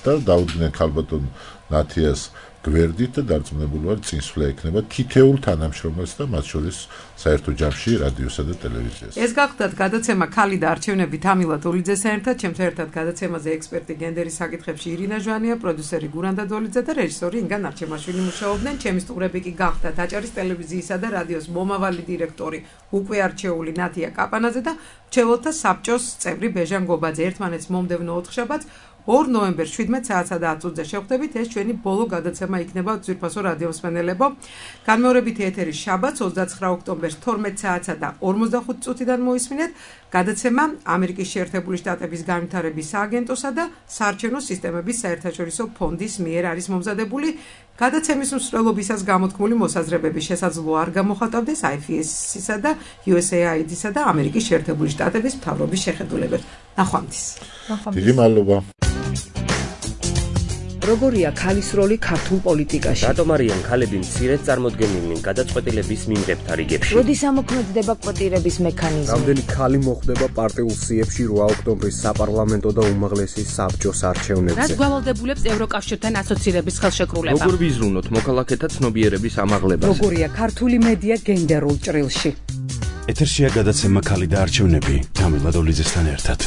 Speaker 7: და დაუდგნენ ქალბატონ ნათიას გვერდით და დარწმუნებული ვარ წინსვლა ექნება თითეულ თანამშრომელს და მათ შორის საერთო ჯამში რადიოსა და ტელევიზიას.
Speaker 6: ეს გახლდათ გადაცემა ქალი და არჩევნები თამილა დოლიძეს ერთად, ჩემთან ერთად გადაცემაზე ექსპერტი გენდერის საკითხებში ირინა ჟვანია, პროდიუსერი გურანდა დოლიძე და რეჟისორი ინგა ნარჩემაშვილი მუშაობდნენ. ჩემი სტუმრები კი გახლდათ აჭარის ტელევიზიისა და რადიოს მომავალი დირექტორი უკვე არჩეული ნათია კაპანაძე და მრჩეველთა საბჭოს წევრი ბეჟა გობაძე. ერთმანეთს მომდევნო ოთხშაბათს ორ ნოემბერს შვიდმეტ საათსა და ათ წუთზე შევხვდებით. ეს ჩვენი ბოლო გადაცემა იქნება ძვირფასო რადიო მსმენელებო. განმეორებითი ეთერი შაბათს ოცდაცხრა ოქტომბერს თორმეტ საათსა და ორმოცდახუთი წუთიდან მოისმინეთ. გადაცემა ამერიკის შეერთებული შტატების განვითარების სააგენტოსა და საარჩევნო სისტემების საერთაშორისო ფონდის მიერ არის მომზადებული. გადაცემის მსვლელობისას გამოთქმული მოსაზრებების შესაძლოა არ გამოხატავდეს აი ეფ ეს-ისა და იუ ეს ეი აი დი-სა და ამერიკის შეერთებული შტატების მთავრობის შეხედულებებს. ნახვამდის.
Speaker 7: დიდი მადლობა.
Speaker 2: როგორია ქალის როლი ქართულ პოლიტიკაში?
Speaker 3: რატომ არიან ქალები მცირედ წარმოდგენილნი გადაწყვეტილების მიმღებთა რიგებში?
Speaker 2: როდის ამოქმედდება კვოტირების მექანიზმი?
Speaker 4: რამდენი ქალი მოხდება პარტიულ სიებში რვა ოქტომბრის საპარლამენტო და უმაღლესი საბჭოს არჩევნებზე?
Speaker 5: რაც გვალავდებულებს ევროკავშირთან ასოცირების ხელშეკრულება?
Speaker 9: როგორ ვიზრუნოთ მოქალაქეთა ცნობიერების ამაღლებას?
Speaker 2: როგორია ქართული მედია გენდერულ ჭრილში?
Speaker 1: ეთერშია გადაცემა ქალი და არჩევნები თამილა დოლიძესთან ერთად.